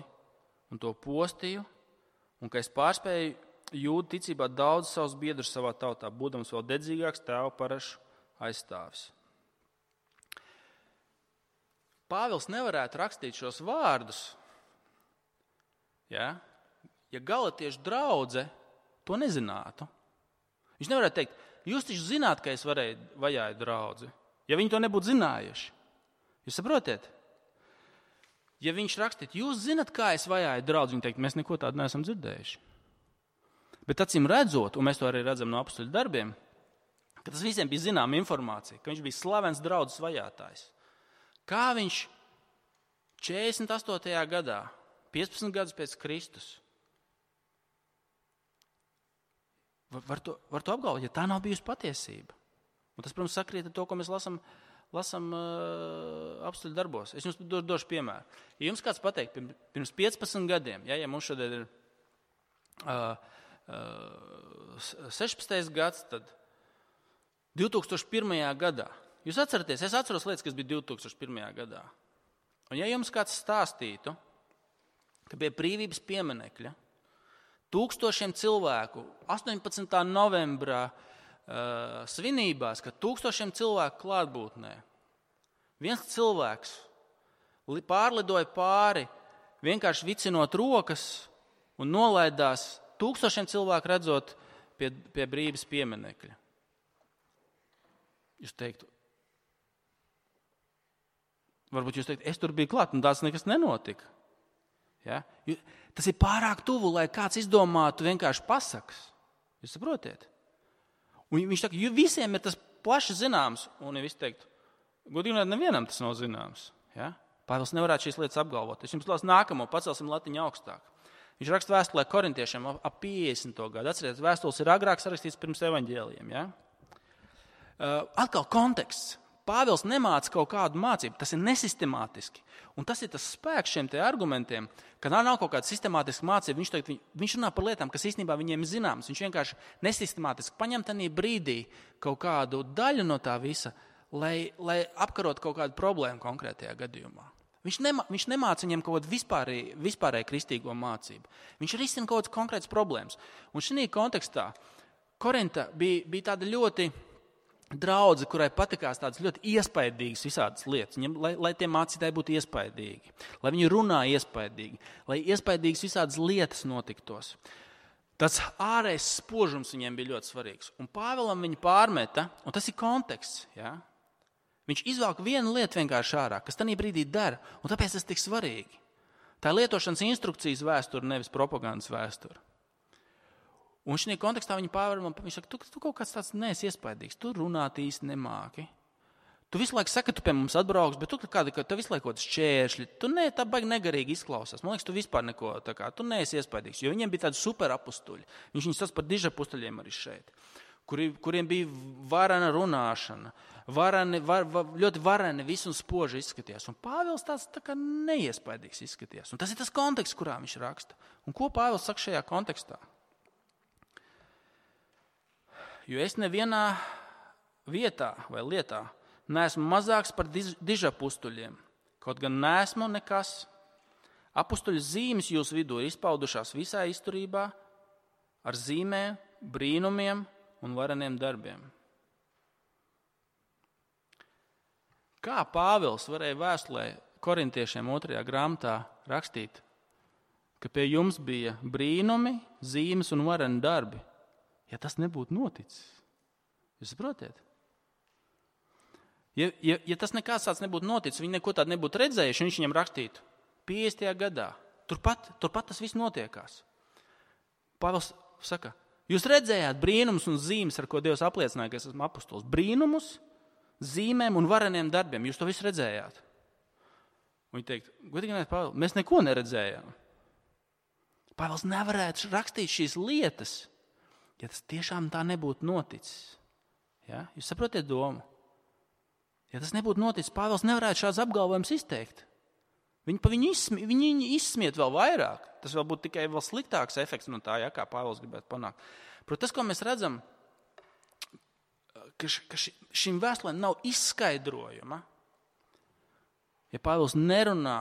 un to postīju, un ka es pārspēju jūda ticībā daudz savus biedrus savā tautā, būdams vēl dedzīgāks tēva parašu aizstāvis. Pāvils nevarētu rakstīt šos vārdus, ja galatiešu draudze to nezinātu. Viņš nevarētu teikt, jūs taču zināt, ka es vajāju draudzi, ja viņi to nebūtu zinājuši. Jūs saprotiet? Ja viņš rakstītu, jūs zināt, kā es vajāju draudzi, viņi teikt, mēs neko tādu neesam dzirdējuši. Bet acīm redzot, un mēs to arī redzam no apostoļu darbiem, ka tas visiem bija zināma informācija, ka viņš bija slavens draudzes vajātājs. Kā viņš 48. gadā, 15 gadus pēc Kristus, var to apgalvot, ja tā nav bijusi patiesība. Un tas, protams, sakrīt ar to, ko mēs lasam apostoļu darbos. Es jums došu piemēru. Ja jums kāds pateikt, pirms 15 gadiem, ja mums šodien ir 16. gads, tad 2001. gadā. Jūs atceraties, es atceros lietas, kas bija 2001. gadā. Un ja jums kāds stāstītu, ka pie brīvības pieminekļa tūkstošiem cilvēku 18. novembrā svinībās, ka tūkstošiem cilvēku klātbūtnē viens cilvēks pārlidoja pāri, vienkārši vicinot rokas un nolaidās tūkstošiem cilvēku redzot pie brīvības pieminekļa. Jūs teiktu, varbūt jūs teiktu, es tur biju klāt un tāds nekas nenotika. Ja? Tas ir pārāk tuvu, lai kāds izdomātu vienkārši pasakas. Jūs saprotiet? Un viņš saka, jo visiem ir tas plaši zināms, un ja visi teiktu, godīgi nevienam tas nav zināms. Ja? Pāvils nevarētu šīs lietas apgalvot. Es jums lasu nākamo, pacelsim latiņu augstāk. Viņš raksta vēstulē korintiešiem ap 50. gadu. Atcerieties, vēstules ir agrāk sarakstīts pirms evaņģēlijiem. Ja? Atkal konteksts. Pāvils nemāca kaut kādu mācību, tas ir nesistemātiski. Un tas ir tas spēks šiem te argumentiem, ka nav kaut kāda sistemātiska mācība. Viņš runā par lietām, kas īstenībā viņiem ir zināmas. Viņš vienkārši nesistemātiski paņem tanī brīdī kaut kādu daļu no tā visa, lai apkarot kaut kādu problēmu konkrētajā gadījumā. Viņš nemāca viņiem kaut kādu vispārēju kristīgo mācību. Viņš risina kaut kādas konkrētas problēmas. Un šī kontekstā Korinta bija tāda ļoti draudze, kurai patikās tādas ļoti iespaidīgas visādas lietas, lai tie mācītāji būtu iespaidīgi, lai viņi runā iespaidīgi, lai iespaidīgas visādas lietas notiktos. Tas ārējais spožums viņiem bija ļoti svarīgs. Un Pāvilam viņi pārmeta, un tas ir konteksts, ja? Viņš izvelk vienu lietu vienkārši ārā, kas tajā brīdī dara, un tāpēc tas tik svarīgi. Tā ir lietošanas instrukcijas vēsture, nevis propagandas vēsture. Un šajā kontekstā viņš saka, tu kaut kāds tāds neesi iespaidīgs, tu runāt īsti nemāki. Tu visu laiku saki, ka tu pie mums atbrauks, bet tu visu laiku kaut šķēršļi. Tu tā baigi negarīgi izklausās. Man liekas, tu vispār neko tu neesi iespaidīgs. Jo viņiem bija tādi superapustuļi. Viņš viņus sauc par dižapustuļiem arī šeit, kuriem bija varena runāšana, ļoti vareni visu un spoži izskatījās. Un Pāvils tāds tā kā neiespaidīgs izskatījās. Un tas ir tas konteksts, kurā viņš raksta. Un ko Pāvils saka šajā kontekstā? Jo es nevienā vietā vai lietā neesmu mazāks par dižapustuļiem, kaut gan neesmu nekas. Apustuļu zīmes jūsu vidū ir izpaudušās visā izturībā ar zīmēm, brīnumiem un vareniem darbiem. Kā Pāvils varēja vēstulē korintiešiem 2. grāmatā rakstīt, ka pie jums bija brīnumi, zīmes un vareni darbi? Ja tas nebūtu noticis, jūs saprotiet? Ja tas nekāds tāds nebūtu noticis, viņi neko tādu nebūtu redzējuši, viņš viņam rakstītu 50. gadā. Turpat tas viss notiekās. Pāvils saka, jūs redzējāt brīnumus un zīmes, ar ko Dievs apliecināja, ka es esmu apustulis. Brīnumus, zīmēm un vareniem darbiem. Jūs to visu redzējāt. Un viņi teikt, godīgi, Pāvils, mēs neko neredzējām. Pāvils nevarētu rakstīt šīs lietas, ja tas tiešām tā nebūtu noticis. Ja? Jūs saprotiet domu? Ja tas nebūtu noticis, Pāvils nevarētu šāds apgalvojums izteikt. Viņi izsmiet vēl vairāk. Tas vēl būtu tikai vēl sliktāks efekts no tā, ja, kā Pāvils gribētu panākt. Protams, tas, ko mēs redzam, ka šim vēstulēm nav izskaidrojuma. Ja Pāvils nerunā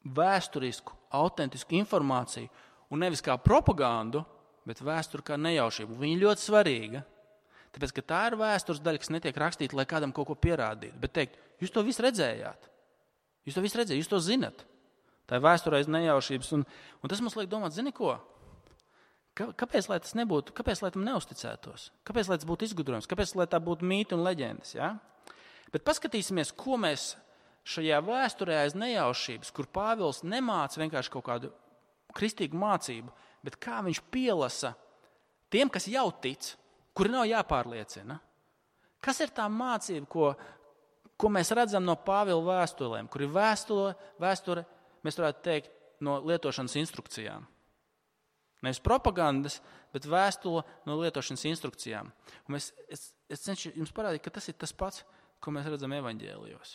vēsturisku, autentisku informāciju un nevis kā propagandu, bet vēsture kā nejaušība. Viņa ļoti svarīga, tāpēc, ka tā ir vēstures daļa, kas netiek rakstīta, lai kādam kaut ko pierādītu. Bet teikt, jūs to visu redzējāt, jūs to zinat. Tā ir vēsture aiz nejaušības. Un tas mums liek domāt, zini ko? Kāpēc, lai tas nebūtu, kāpēc, lai tam neusticētos? Kāpēc, lai tas būtu izgudrojums? Kāpēc, lai tā būtu mīti un leģendas? Ja? Bet paskatīsimies, ko mēs šajā vēsturē aiz nejaušības, kur Pāvils nemāca vienkārši kaut kādu kristīgu mācību, bet kā viņš pielasa tiem, kas jau tic, kuri nav jāpārliecina. Kas ir tā mācība, ko mēs redzam no Pāvila vēstulēm, kur ir vēsture, mēs varētu teikt, no lietošanas instrukcijām. Nevis propagandas, bet vēstule no lietošanas instrukcijām. Un es cenšu jums parādīt, ka tas ir tas pats, ko mēs redzam evaņģēlijos.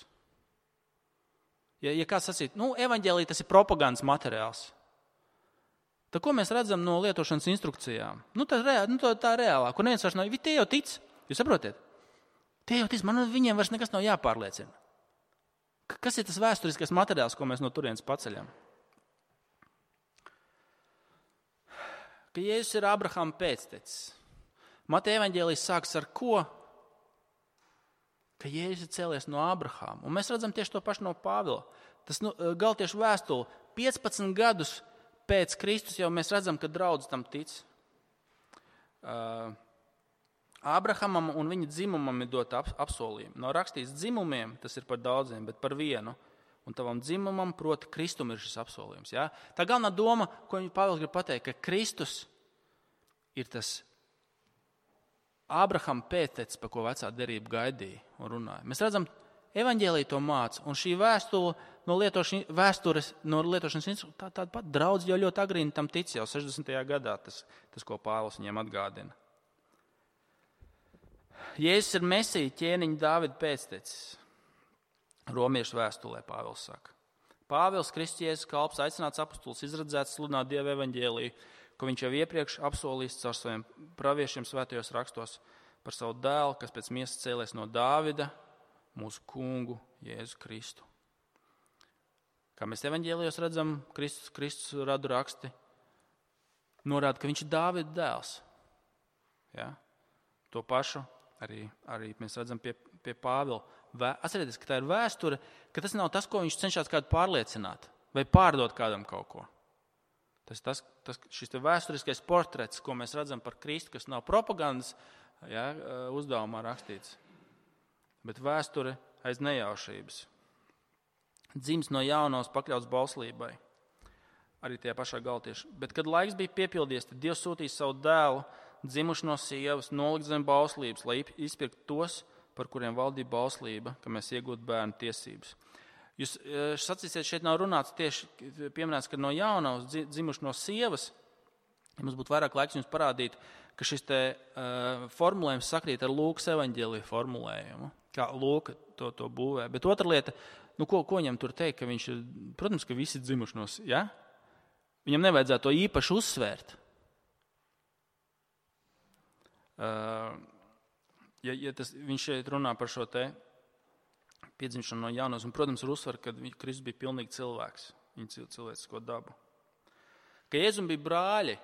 Ja kāds sacīt, evaņģēlija tas ir propagandas materiāls, tad ko mēs redzam no lietošanas instrukcijām? Tā reālā, kur neviens vairs nav, tie jau tic, jūs saprotiet? Tie jau tic, viņiem vairs nekas nav jāpārliecina. Kas ir tas vēsturiskais materiāls, ko mēs no turienes paceļam? Ka Jēzus ir Abrahama pēctecis. Mateja evaņģēlijs sāks ar ko? Ka Jēzus ir cēlies no Abrahama. Un mēs redzam tieši to pašu no Pāvila. Tas Galatiešu vēstule 15 gadus pēc Kristus jau mēs redzam, ka draudz tam tic. Abrahamam un viņa dzimumam ir dota apsolījumi. Nav rakstīts dzimumiem, tas ir par daudziem, bet par vienu. Un tavam dzimumam, proti, Kristum ir šis apsolījums. Ja? Tā galvenā doma, ko Pāvils grib pateikt, ka Kristus ir tas Abrahama pēctecis, par ko vecā derība gaidīja un runāja. Mēs redzam, evaņģēlija to māca, un šī vēstures no lietošanas instrukcijas, tāda pat draudz jau ļoti agrīni tam tic, jau 60. gadā, tas, ko Pāvils viņiem atgādina. Jēzus ir Mesija, ķēniņa Dāvida pēctecis. Romiešu vēstulē Pāvils saka. Pāvils, Kristus Jēzus kalps, aicināts apostols, izredzēts sludināt Dieva evaņģēliju, ko viņš jau iepriekš apsolījis caur saviem praviešiem svētajos rakstos par savu dēlu, kas pēc miesas cēlies no Dāvida, mūsu kungu Jēzu Kristu. Kā mēs evaņģēlijos redzam, Kristus radu raksti norāda, ka viņš ir Dāvida dēls. Ja? To pašu arī mēs redzam pie Pāvila. Atcerieties, ka tā ir vēsture, ka tas nav tas, ko viņš cenšas kādu pārliecināt vai pārdot kādam kaut ko. Šis vēsturiskais portrets, ko mēs redzam par Kristu, kas nav propagandas uzdevumā rakstīts, bet vēsture aiz nejaušības. Dzimis no jaunos pakļauts bauslībai, arī tajā pašā Galatiešu. Bet, kad laiks bija piepildies, tad Dievs sūtīja savu dēlu, dzimuši no sievas, nolikt zem bauslības, lai izpirktu tos, par kuriem valdīja bauslība, ka mēs iegūtu bērnu tiesības. Jūs sacīsiet, šeit nav runāts tieši pieminēts, ka no jaunās dzimuši no sievas. Ja mums būtu vairāk laiks jums parādīt, ka šis formulējums sakrīt ar Lūkas evaņģēlija formulējumu, kā Lūka to būvē. Bet otra lieta, ko viņam tur teikt, ka viņš ir, protams, ka visi dzimuši no sievas, ja? Viņam nevajadzētu to īpaši uzsvērt. Ja viņš šeit runā par šo te piedzimšanu no jaunos, un, protams, ir uzsver, ka Kristus bija pilnīgi cilvēks, viņa cilvēcisko dabu. Ka Jēzum bija brāļi,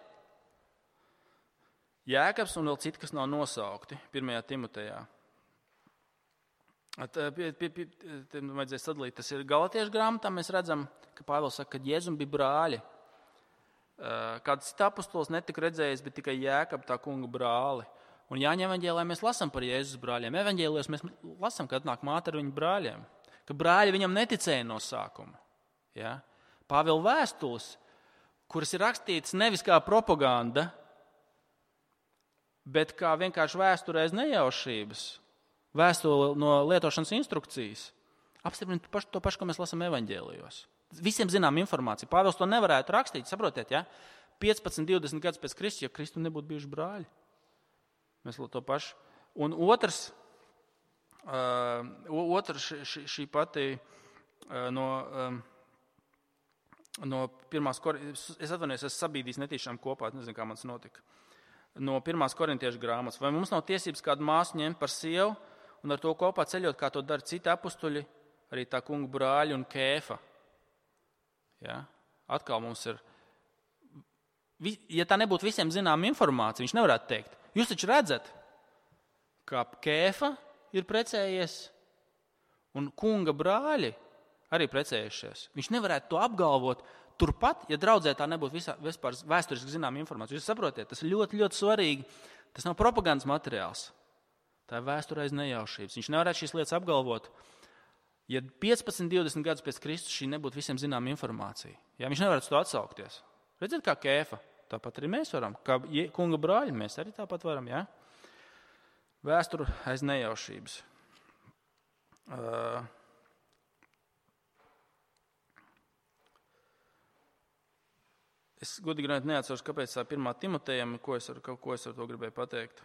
Jēkabs un vēl citi, kas nav nosaukti 1. Timotejā. Vajadzēja sadalīt, tas ir Galatiešu grāmatā, mēs redzam, ka Pāvils saka, ka Jēzum bija brāļi. Kāds cits apostols netika redzējis, bet tikai Jēkab, tā kunga brāli. Un Jāņa evaņģēlijā mēs lasām par Jēzus brāļiem. Evaņģēlijos mēs lasām, ka atnāk māte ar viņu brāļiem. Ka brāļi viņam neticēja no sākuma. Ja? Pāvila vēstules, kuras ir rakstītas nevis kā propaganda, bet kā vienkārši vēsture aiz nejaušības, vēstule no lietošanas instrukcijas, apstiprina to pašu, ko mēs lasām evaņģēlijos. Visiem zinām informāciju. Pāvils to nevarētu rakstīt, saprotiet, ja? 15, 20 gadus pēc Kristus, ja Kristum nebūtu bijuši brāļi. Mēs to pašu. Un otrs šī pati no pirmās es atvainojos, es sabīdīju netīšām kopā, nezinu, kā man tas notika. No 1. Korintiešu grāmatas. Vai mums nav tiesības kādu māsu ņemt par sievu un ar to kopā ceļot, kā to dara citi apustuļi, arī tā kunga brāļi un Kēfa? Ja? Atkal mums ir ja tā nebūtu visiem zināma informācija, viņš nevarētu teikt. Jūs taču redzat, kā Kēfa ir precējies un kunga brāļi arī precējušies. Viņš nevarētu to apgalvot turpat, ja draudzē tā nebūtu vispār vēsturiski zināma informācija. Jūs saprotiet, tas ir ļoti, ļoti svarīgi. Tas nav propagandas materiāls. Tā ir vēsture aiz nejaušības. Viņš nevarētu šīs lietas apgalvot, ja 15, 20 gadus pēc Kristus šī nebūtu visiem zināma informācija. Ja, viņš nevarētu to atsaukties. Redziet, kā Kēfa. Tāpat arī mēs varam. Kā kunga brāļi mēs arī tāpat varam. Ja? Vēsture aiz nejaušības. Es godīgi neatceros, kāpēc tā 1. Timotejam, ko es ar to gribēju pateikt.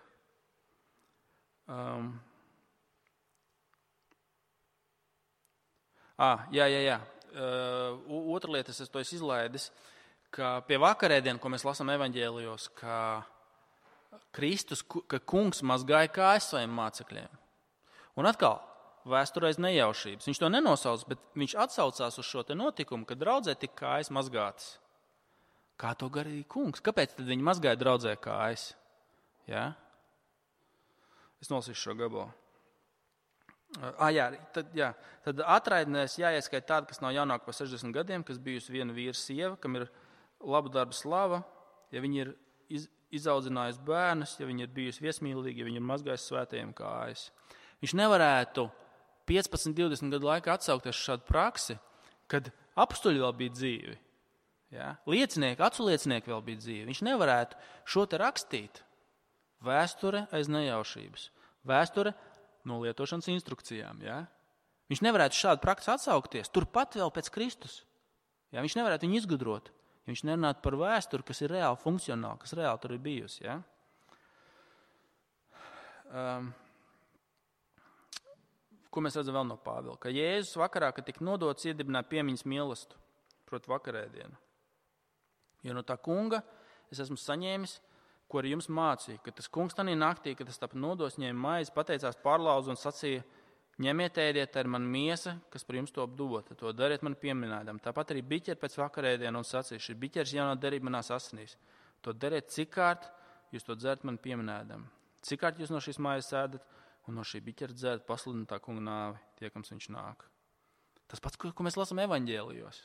Jā. Otra lieta, es to esmu izlaidis, ka pie vakarēdienu, ko mēs lasām evaņģēlijos, ka kungs mazgāja kājas saviem mācekļiem. Un atkal, vēsture aiz nejaušības. Viņš to nenosauc, bet viņš atsaucās uz šo te notikumu, kad draudzē tika kājas mazgātas. Kā to garīja kungs? Kāpēc tad viņi mazgāja draudzē kājas? Ja? Es nolasīšu šo gabalu. Tad atraidnēs jāieskait tāda, kas nav jaunāka par 60 gadiem, kas bijusi viena vīra sieva, kam ir laba darba slava, ja viņi ir izaudzinājusi bērnus, ja viņi ir bijusi viesmīlīgi, ja viņi ir mazgājusi svētajiem kājas. Viņš nevarētu 15, 20 gadu laikā atsaukties uz šādu praksi, kad apstuļi vēl bija dzīvi. Ja? Acu liecinieki vēl bija dzīvi. Viņš nevarētu šo te rakstīt. Vēsture aiz nejaušības. Vēsture no lietošanas instrukcijām. Ja? Viņš nevarētu šādu praksi atsaukties. Turpat vēl pēc Kristus. Ja? Viņš nevarētu viņu izgudrot. Ja viņš nerunātu par vēsturi, kas ir reāli funkcionāli, kas reāli tur ir bijusi. Ja? Ko mēs redzam vēl no Pāvila? Ka Jēzus vakarā, kad tika nodots, iedibināja piemiņas mielastu, proti vakarēdienu. Jo no tā kunga es esmu saņēmis, ko arī jums mācīja, ka tas kungs tanī naktī, kad tas tāpat nodos, ņēma maizi, pateicās pārlauzu un sacīja, ņemiet, ēdiet, tā ir mana miesa, kas par jums top dota, to dariet man pieminēdam. Tāpat arī biķeri pēc vakarēdienu un sacīja, šī biķeris jaunā derība manās asinīs. To dariet cikārt, jūs to dzerat man pieminēdam. Cikārt jūs no šīs maizes ēdat un no šī biķera dzerat pasludināt tā kunga nāvi, tiekams viņš nāk. Tas pats, ko mēs lasām evaņģēlijos.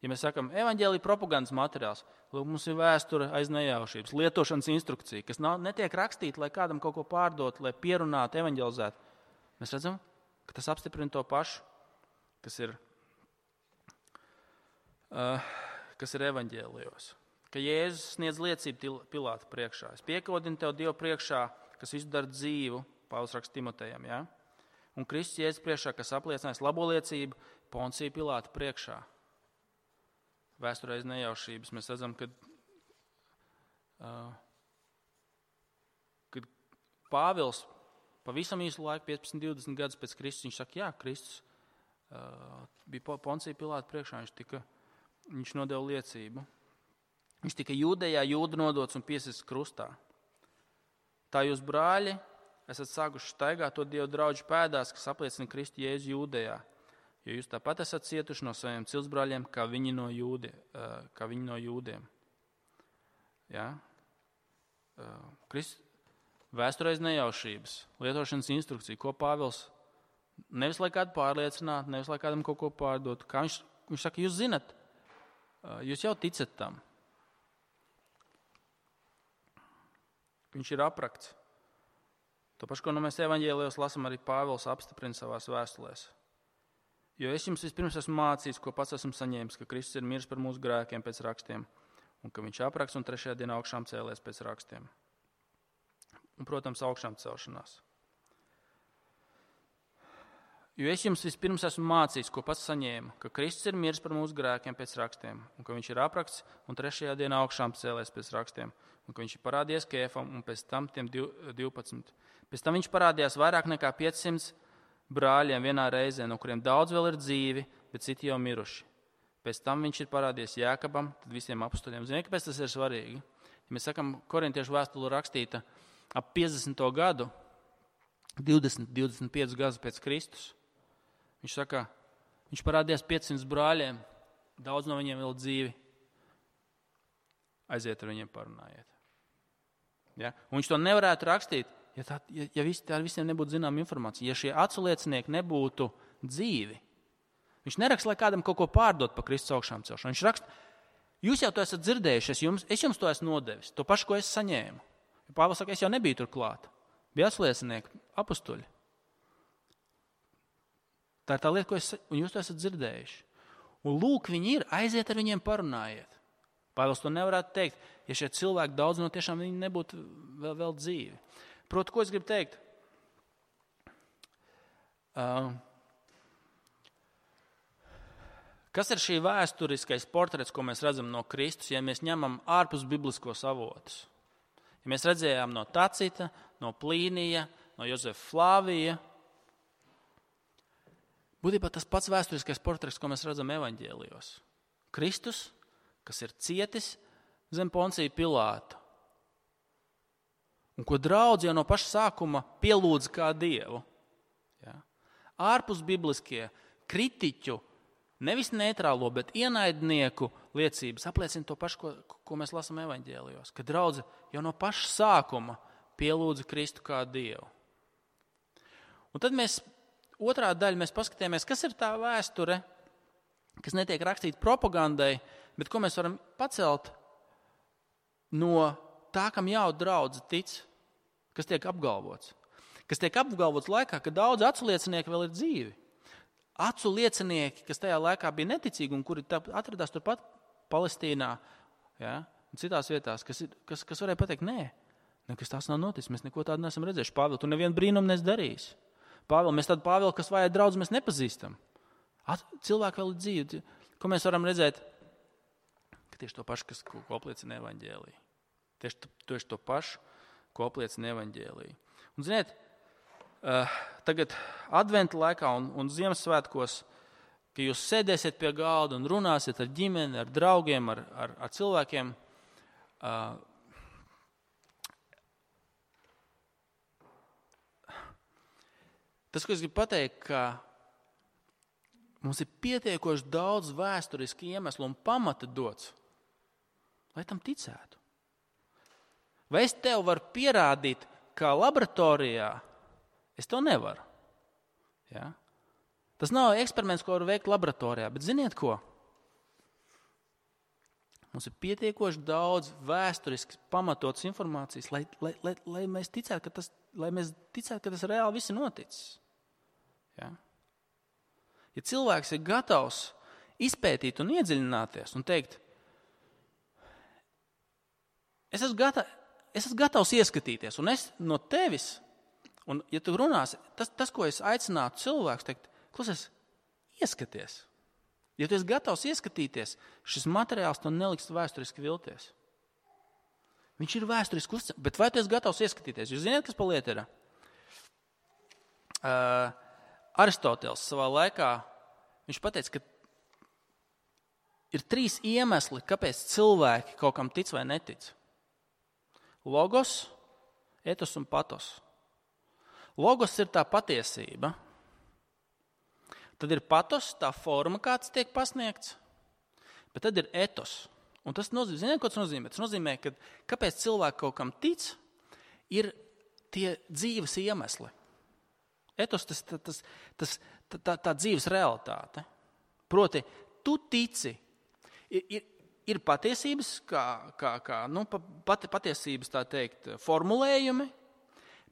Ja mēs sakam, evaņģēlija propagandas materiāls, lūk, mums ir vēsture aiz nejaušības, lietošanas instrukcija, kas netiek rakstīta, lai kādam kaut ko pārdot, lai pierunātu, evaņģelizētu. Mēs redzam, ka tas apstiprina to pašu, kas ir evaņģēlijos. Ka Jēzus sniedz liecību Pilāta priekšā. Es piekodinu tev Dievu priekšā, kas visu dara dzīvu, Pāvils raksta Timotejam, ja? Un Kristus Jēzus priekšā, kas apliecinājis labo liecību Poncija Pilāta priekšā. Vēsturē aiz nejaušības mēs redzam, kad Pāvils pavisam īsu laiku, 15, 20 gadus pēc Kristus, viņš saka, jā, Kristus bija Poncija Pilāta priekšā, viņš nodeva liecību. Viņš tika Jūdejā, Jūda nodots un piesists krustā. Tā jūs, brāļi, esat sākuši staigāt to Dievu draudžu pēdās, kas apliecina Kristu Jēzu Jūdejā. Jo jūs tāpat esat cietuši no saviem ciltsbrāļiem, kā viņi no jūdiem. Ja? Vēsture aiz nejaušības, lietošanas instrukcija, ko Pāvils nevis lai kādu pārliecinātu, nevis lai kādam kaut ko pārdotu. Kā viņš saka, jūs zinat, jūs jau ticat tam. Viņš ir aprakts. To pašu, ko mēs evaņģēlijos lasām, arī Pāvils apstiprina savās vēstulēs. Jo es jums vispirms esmu mācījis, ko pats esmu saņēmis, ka Kristus ir miris par mūsu grēkiem pēc rakstiem, un ka viņš apraksts un 3. dienā augšām cēlies pēc rakstiem. Un, protams, augšām celšanās. Jo es jums vispirms esmu mācījis, ko pats saņēmu, ka Kristus ir miris par mūsu grēkiem pēc rakstiem, un ka viņš ir apraksts un 3. dienā augšām cēlies pēc rakstiem, un ka viņš ir parādījies Kēfam un pēc tam tiem 12. Pēc tam viņš parādījās vairāk nekā 500 brāļiem vienā reizē, no kuriem daudz vēl ir dzīvi, bet citi jau miruši. Pēc tam viņš ir parādījies Jākabam, tad visiem apustuļiem. Ziniet, kāpēc tas ir svarīgi? Ja mēs sakam, korintiešu vēstule rakstīta ap 50. gadu, 20-25 gadus pēc Kristus, viņš saka, viņš parādījās 500 brāļiem, daudz no viņiem vēl dzīvi. aiziet ar viņiem parunājiet. Ja? Un viņš to nevarētu rakstīt, ja visiem nebūtu zinām informācija. Ja šie acu liecinieki nebūtu dzīvi, viņš neraksta, lai kādam kaut ko pārdot par Kristus augšām celšanu. Viņš raksta, jūs jau to esat dzirdējuši, es jums to esmu nodevis, to pašu, ko es saņēmu. Ja Pāvils saka, es jau nebiju tur klāt. Bija acu liecinieki, apustuļi. Tā ir tā lieta, un jūs to esat dzirdējuši. Un lūk, viņi ir, aiziet ar viņiem parunājiet. Pāvils to nevarētu teikt, ja šie cilvēki daudz no tiešām viņi nebūtu vēl dzīvi. Proti, ko es gribu teikt? Kas ir šī vēsturiskais portrets, ko mēs redzam no Kristus, ja mēs ņemam ārpus bibliskos avotus? Ja mēs redzējām no Tacita, no Plīnija, no Jozefa Flāvija, būtībā tas pats vēsturiskais portrets, ko mēs redzam evaņģēlijos. Kristus, kas ir cietis zem Poncija Pilāta, un ko draudz jau no paša sākuma pielūdz kā Dievu. Ja? Ārpus bibliskie kritiķu, nevis neitrālo, bet ienaidnieku liecības apliecina to pašu, ko mēs lasām evaņģēlijos, ka draudze jau no paša sākuma pielūdza Kristu kā Dievu. Un tad otrā daļa mēs paskatījāmies, kas ir tā vēsture, kas netiek rakstīta propagandai, bet ko mēs varam pacelt no tā, kam jau draudze tic, kas tiek apgalvots. Kas tiek apgalvots laikā, kad daudz acu liecinieki vēl ir dzīvi. Acu liecinieki, kas tajā laikā bija neticīgi un kuri atradās turpat Palestīnā, ja, un citās vietās, kas varēja pateikt, nē, nekas tās nav noticis, mēs neko tādu neesam redzējuši. Pāvil, tu nevienu brīnumu nes darījis. Pāvil, mēs tādu Pāvilu, kas vajag draudz, mēs nepazīstam. Cilvēki vēl ir dzīvi. Ko mēs varam redzēt? Ka tieši to pašu, ko apliecina evaņģēlija. Tieši to pašu, ko apliecina evaņģēlija. Un ziniet, tagad adventa laikā un Ziemassvētkos, ka jūs sēdēsiet pie galda un runāsiet ar ģimeni, ar draugiem, ar cilvēkiem, tas, ko es gribu pateikt, ka mums ir pietiekoši daudz vēsturiski iemeslu un pamata dots, lai tam ticētu. Vai es tev varu pierādīt, kā laboratorijā? Es to nevaru. Ja? Tas nav eksperiments, ko var veikt laboratorijā, bet ziniet ko? Mums ir pietiekoši daudz vēsturiski pamatotas informācijas, lai mēs ticētu, ka tas reāli viss ir noticis. Ja? Ja cilvēks ir gatavs izpētīt un iedziļināties un teikt, es esmu gatavs ieskatīties, un es no tevis, un ja tu runāsi, tas ko es aicinātu cilvēks, teikt, klausies, ieskaties. Ja tu esi gatavs ieskatīties, šis materiāls to neliks vēsturiski vilties. Viņš ir vēsturiski uzticams, bet vai tu esi gatavs ieskatīties? Jūs zināt, kas pa lieta ir? Aristotels savā laikā, viņš pateica, ka ir 3 iemesli, kāpēc cilvēki kaut kam tic vai netic. Logos, etos un patos. Logos ir tā patiesība. Tad ir patos, tā forma, kāds tiek pasniegts. Bet tad ir etos. Un tas nozīmē, ziniet, ko tas nozīmē? Tas nozīmē, ka kāpēc cilvēki kaut kam tic, ir tie dzīves iemesli. Etos, tā dzīves realitāte. Proti, tu tici. Ir patiesības, patiesības, tā teikt, formulējumi,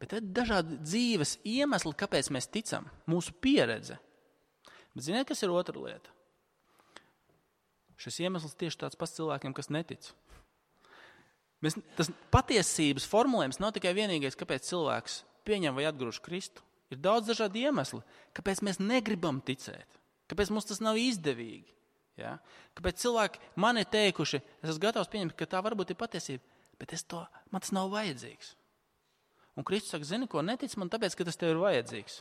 bet ir dažādi dzīves iemesli, kāpēc mēs ticam, mūsu pieredze. Bet ziniet, kas ir otra lieta? Šis iemesls tieši tāds pats cilvēkiem, kas netic. Tas patiesības formulējums nav tikai vienīgais, kāpēc cilvēks pieņem vai atgrūž Kristu. Ir daudz dažādi iemesli, kāpēc mēs negribam ticēt, kāpēc mums tas nav izdevīgi. Ja? Kāpēc cilvēki man ir teikuši, es esmu gatavs pieņemt, ka tā varbūt ir patiesība, bet man tas nav vajadzīgs. Un Kristus saka, zini, ko netic man, tāpēc, ka tas tev ir vajadzīgs.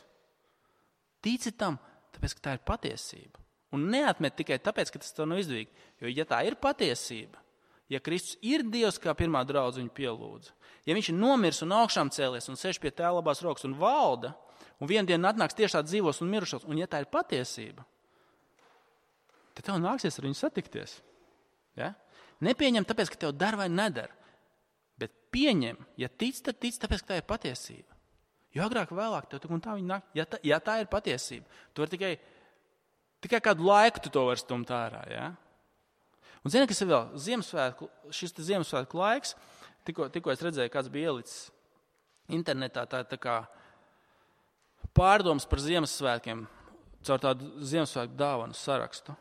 Tici tam, tāpēc, ka tā ir patiesība. Un neatmet tikai tāpēc, ka tas tev nav izdevīgi. Jo, ja tā ir patiesība, ja Kristus ir Dievs, kā pirmā draudze viņu pielūdza, ja viņš ir nomirs un augšām cēlies un sēž pie tēva labās rokas un valda, un vienu dienu atnāks tiešā dzīvos un mirušos, un ja tā ir patiesība, tad tev nāksies ar viņu satikties. Ja? Nepieņem tāpēc, ka tev dar vai nedara. Bet pieņem, ja tic, tad tic, tāpēc, ka tā ir patiesība. Jo agrāk vēlāk tev un tā viņa nāk, ja tā ir patiesība, tu vari tikai kādu laiku tu to vari stumt ārā. Ja? Un zini, kas ir vēl? Šis Ziemassvētku laiks, tikko es redzēju, kāds bija ielicis internetā, tā kā pārdomas par Ziemassvētkiem, caur tādu Ziemassvētku dāvanu sarakstu.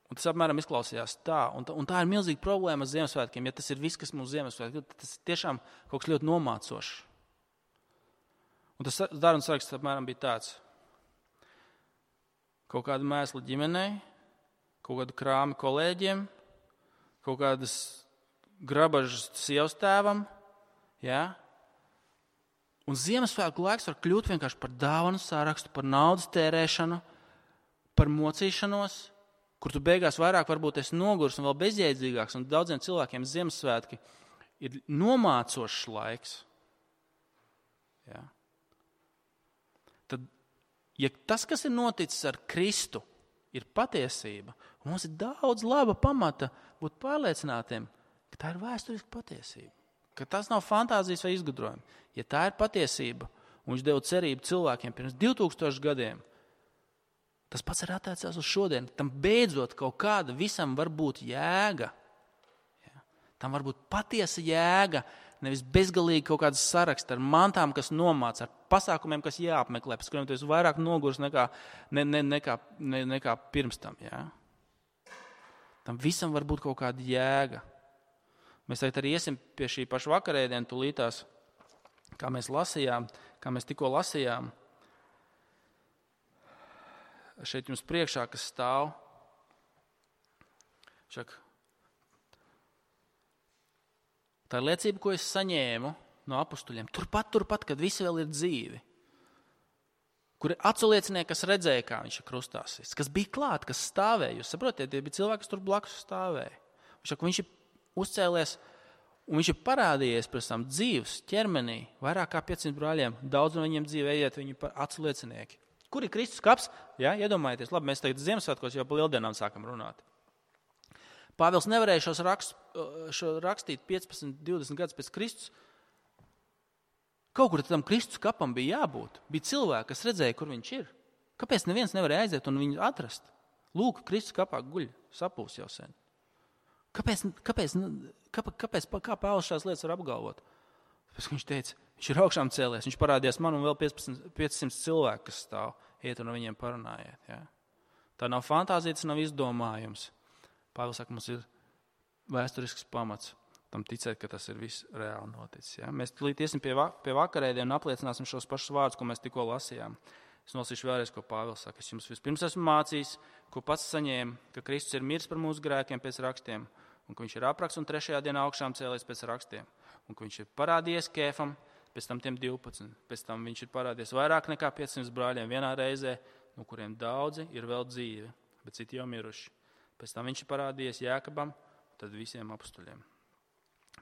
Un tas apmēram izklausījās tā. Un tā ir milzīga problēma ar Ziemassvētkiem. Ja tas ir viss, kas mums Ziemassvētkiem, tad tas ir tiešām kaut kas ļoti nomācošs. Un tas dāvanu saraksts apmēram bija tāds. Kaut kāda mēsla ģimenei, kaut kādu krāmi kolēģiem, kaut kādas grabažas sievas tēvam. Ja? Un Ziemassvētku laiks var kļūt vienkārši par dāvanu sarakstu, par naudas tērēšanu, par mocīšanos, kur tu beigās vairāk varbūt esi nogurs un vēl bezjēdzīgāks, un daudziem cilvēkiem Ziemassvētki ir nomācošs laiks. Ja? Tad, ja tas, kas ir noticis ar Kristu, ir patiesība, un mums ir daudz laba pamata būt pārliecinātiem, ka tā ir vēsturiska patiesība, ka tas nav fantāzijas vai izgudrojumi. Ja tā ir patiesība, un viņš deva cerību cilvēkiem pirms 2000 gadiem, tas pats ir attiecās uz šodien. Tam beidzot kaut kāda visam var būt jēga. Ja? Tam var būt patiesa jēga, nevis bezgalīgi kaut kādas saraksti ar mantām, kas nomāca, ar pasākumiem, kas jāapmeklē, pēc kuriem tu esi vairāk nogurs nekā pirms tam. Ja? Tam visam var būt kaut kāda jēga. Mēs tagad arī iesim pie šī paša vakarēdiena tulītās, kā mēs tikko lasījām. Šeit jums priekšā, kas stāv. Tā ir liecība, ko es saņēmu no apustuļiem. Turpat, kad visi vēl ir dzīvi. Kur ir aculiecinieki, kas redzēja, kā viņš ir krustā sists, kas bija klāt, kas stāvēja. Jūs saprotiet, tie bija cilvēki, kas tur blakus stāvēja. Viņš ir uzcēlies un viņš ir parādījies pēc tam dzīves ķermenī, vairāk kā 500 brāļiem. Daudz no viņiem dzīve ejiet, viņi ir aculiecinieki. Kur ir Kristus kaps? Ja, iedomājieties, labi, mēs tagad Ziemassvētkos jau pa lieldienām sākam runāt. Pāvils nevarēja šo rakstīt 15, 20 gadus pēc Kristus. Kaut kur tam Kristus kapam bija jābūt. Bija cilvēki, kas redzēja, kur viņš ir. Kāpēc neviens nevarēja aiziet un viņu atrast? Lūk, Kristus kapā guļ, sapūs jau sen. Kā Pāvils šās lietas var apgalvot? Pēc, viņš teica, viņš ir augšām cēlies, viņš parādījās man un vēl 500 cilvēku, kas stāv, iet un viņiem parunājiet. Ja? Tā nav fantāzija, tas nav izdomājums. Pāvils saka, mums ir vēsturisks pamats tam ticēt, ka tas ir viss reāli noticis. Ja? Mēs tulīt iesim pie vakarēdienu un apliecināsim šos pašus vārdus, ko mēs tikko lasījām. Es nolasīšu vēlreiz, ko Pāvils saka. Es jums vispirms esmu mācījis, ko pats saņēmu, ka Kristus ir miris par mūsu grēkiem pēc rakstiem, un ka viņš ir apraksts un 3. dienā augšām cēlies pēc rakstiem, un ka viņš ir parādījies Kēfam, pēc tam tiem 12, pēc tam viņš ir parādījies vairāk nekā 500 brāļiem vienā reizē, no kuriem daudzi ir vēl dzīvi, bet citi jau miruši. Pēc tam viņš ir parādījies Jēkabam, tad visiem apustuļiem.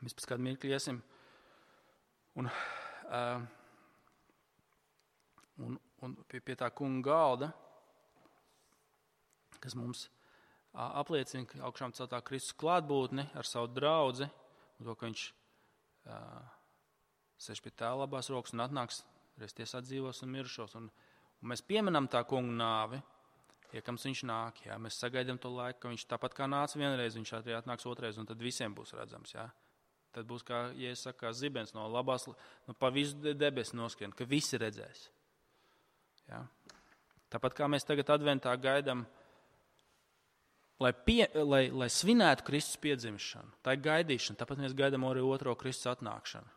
Mēs pēc kādu mirkli iesim un pie tā kunga galda, kas mums apliecina, ka augšām celtā Kristus klātbūtni ar savu draudzi, un to, ka viņš sēž pie tēva labās rokas un atnāks reiz tiesāt dzīvos un mirušos. Un mēs pieminam tā kunga nāvi, iekams viņš nāk, jā, mēs sagaidām to laiku, ka viņš tāpat kā nāca vienreiz, viņš arī atnāks otrais, un tad visiem būs redzams, jā. Tad būs, kā, ja es saku, kā zibens no labās, pa visu debesu noskrien, ka visi redzēs. Jā. Tāpat kā mēs tagad adventā gaidām, lai svinētu Kristus piedzimšanu, tā ir gaidīšana, tāpat mēs gaidām arī otro Kristus atnākšanu.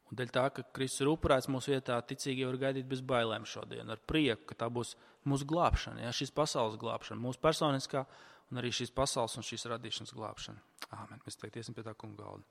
Un dēļ tā, ka Kristus ir upurēts mūsu vietā, ticīgi var gaidīt bez bailēm šodien, ar prieku, ka tā būs mūsu glābšana, ja, šīs pasaules glābšana, mūsu personiskā un arī šīs pasaules un šīs radīšanas glābšana. Āmen. Mēs tagad iesim pie tā kunga galda.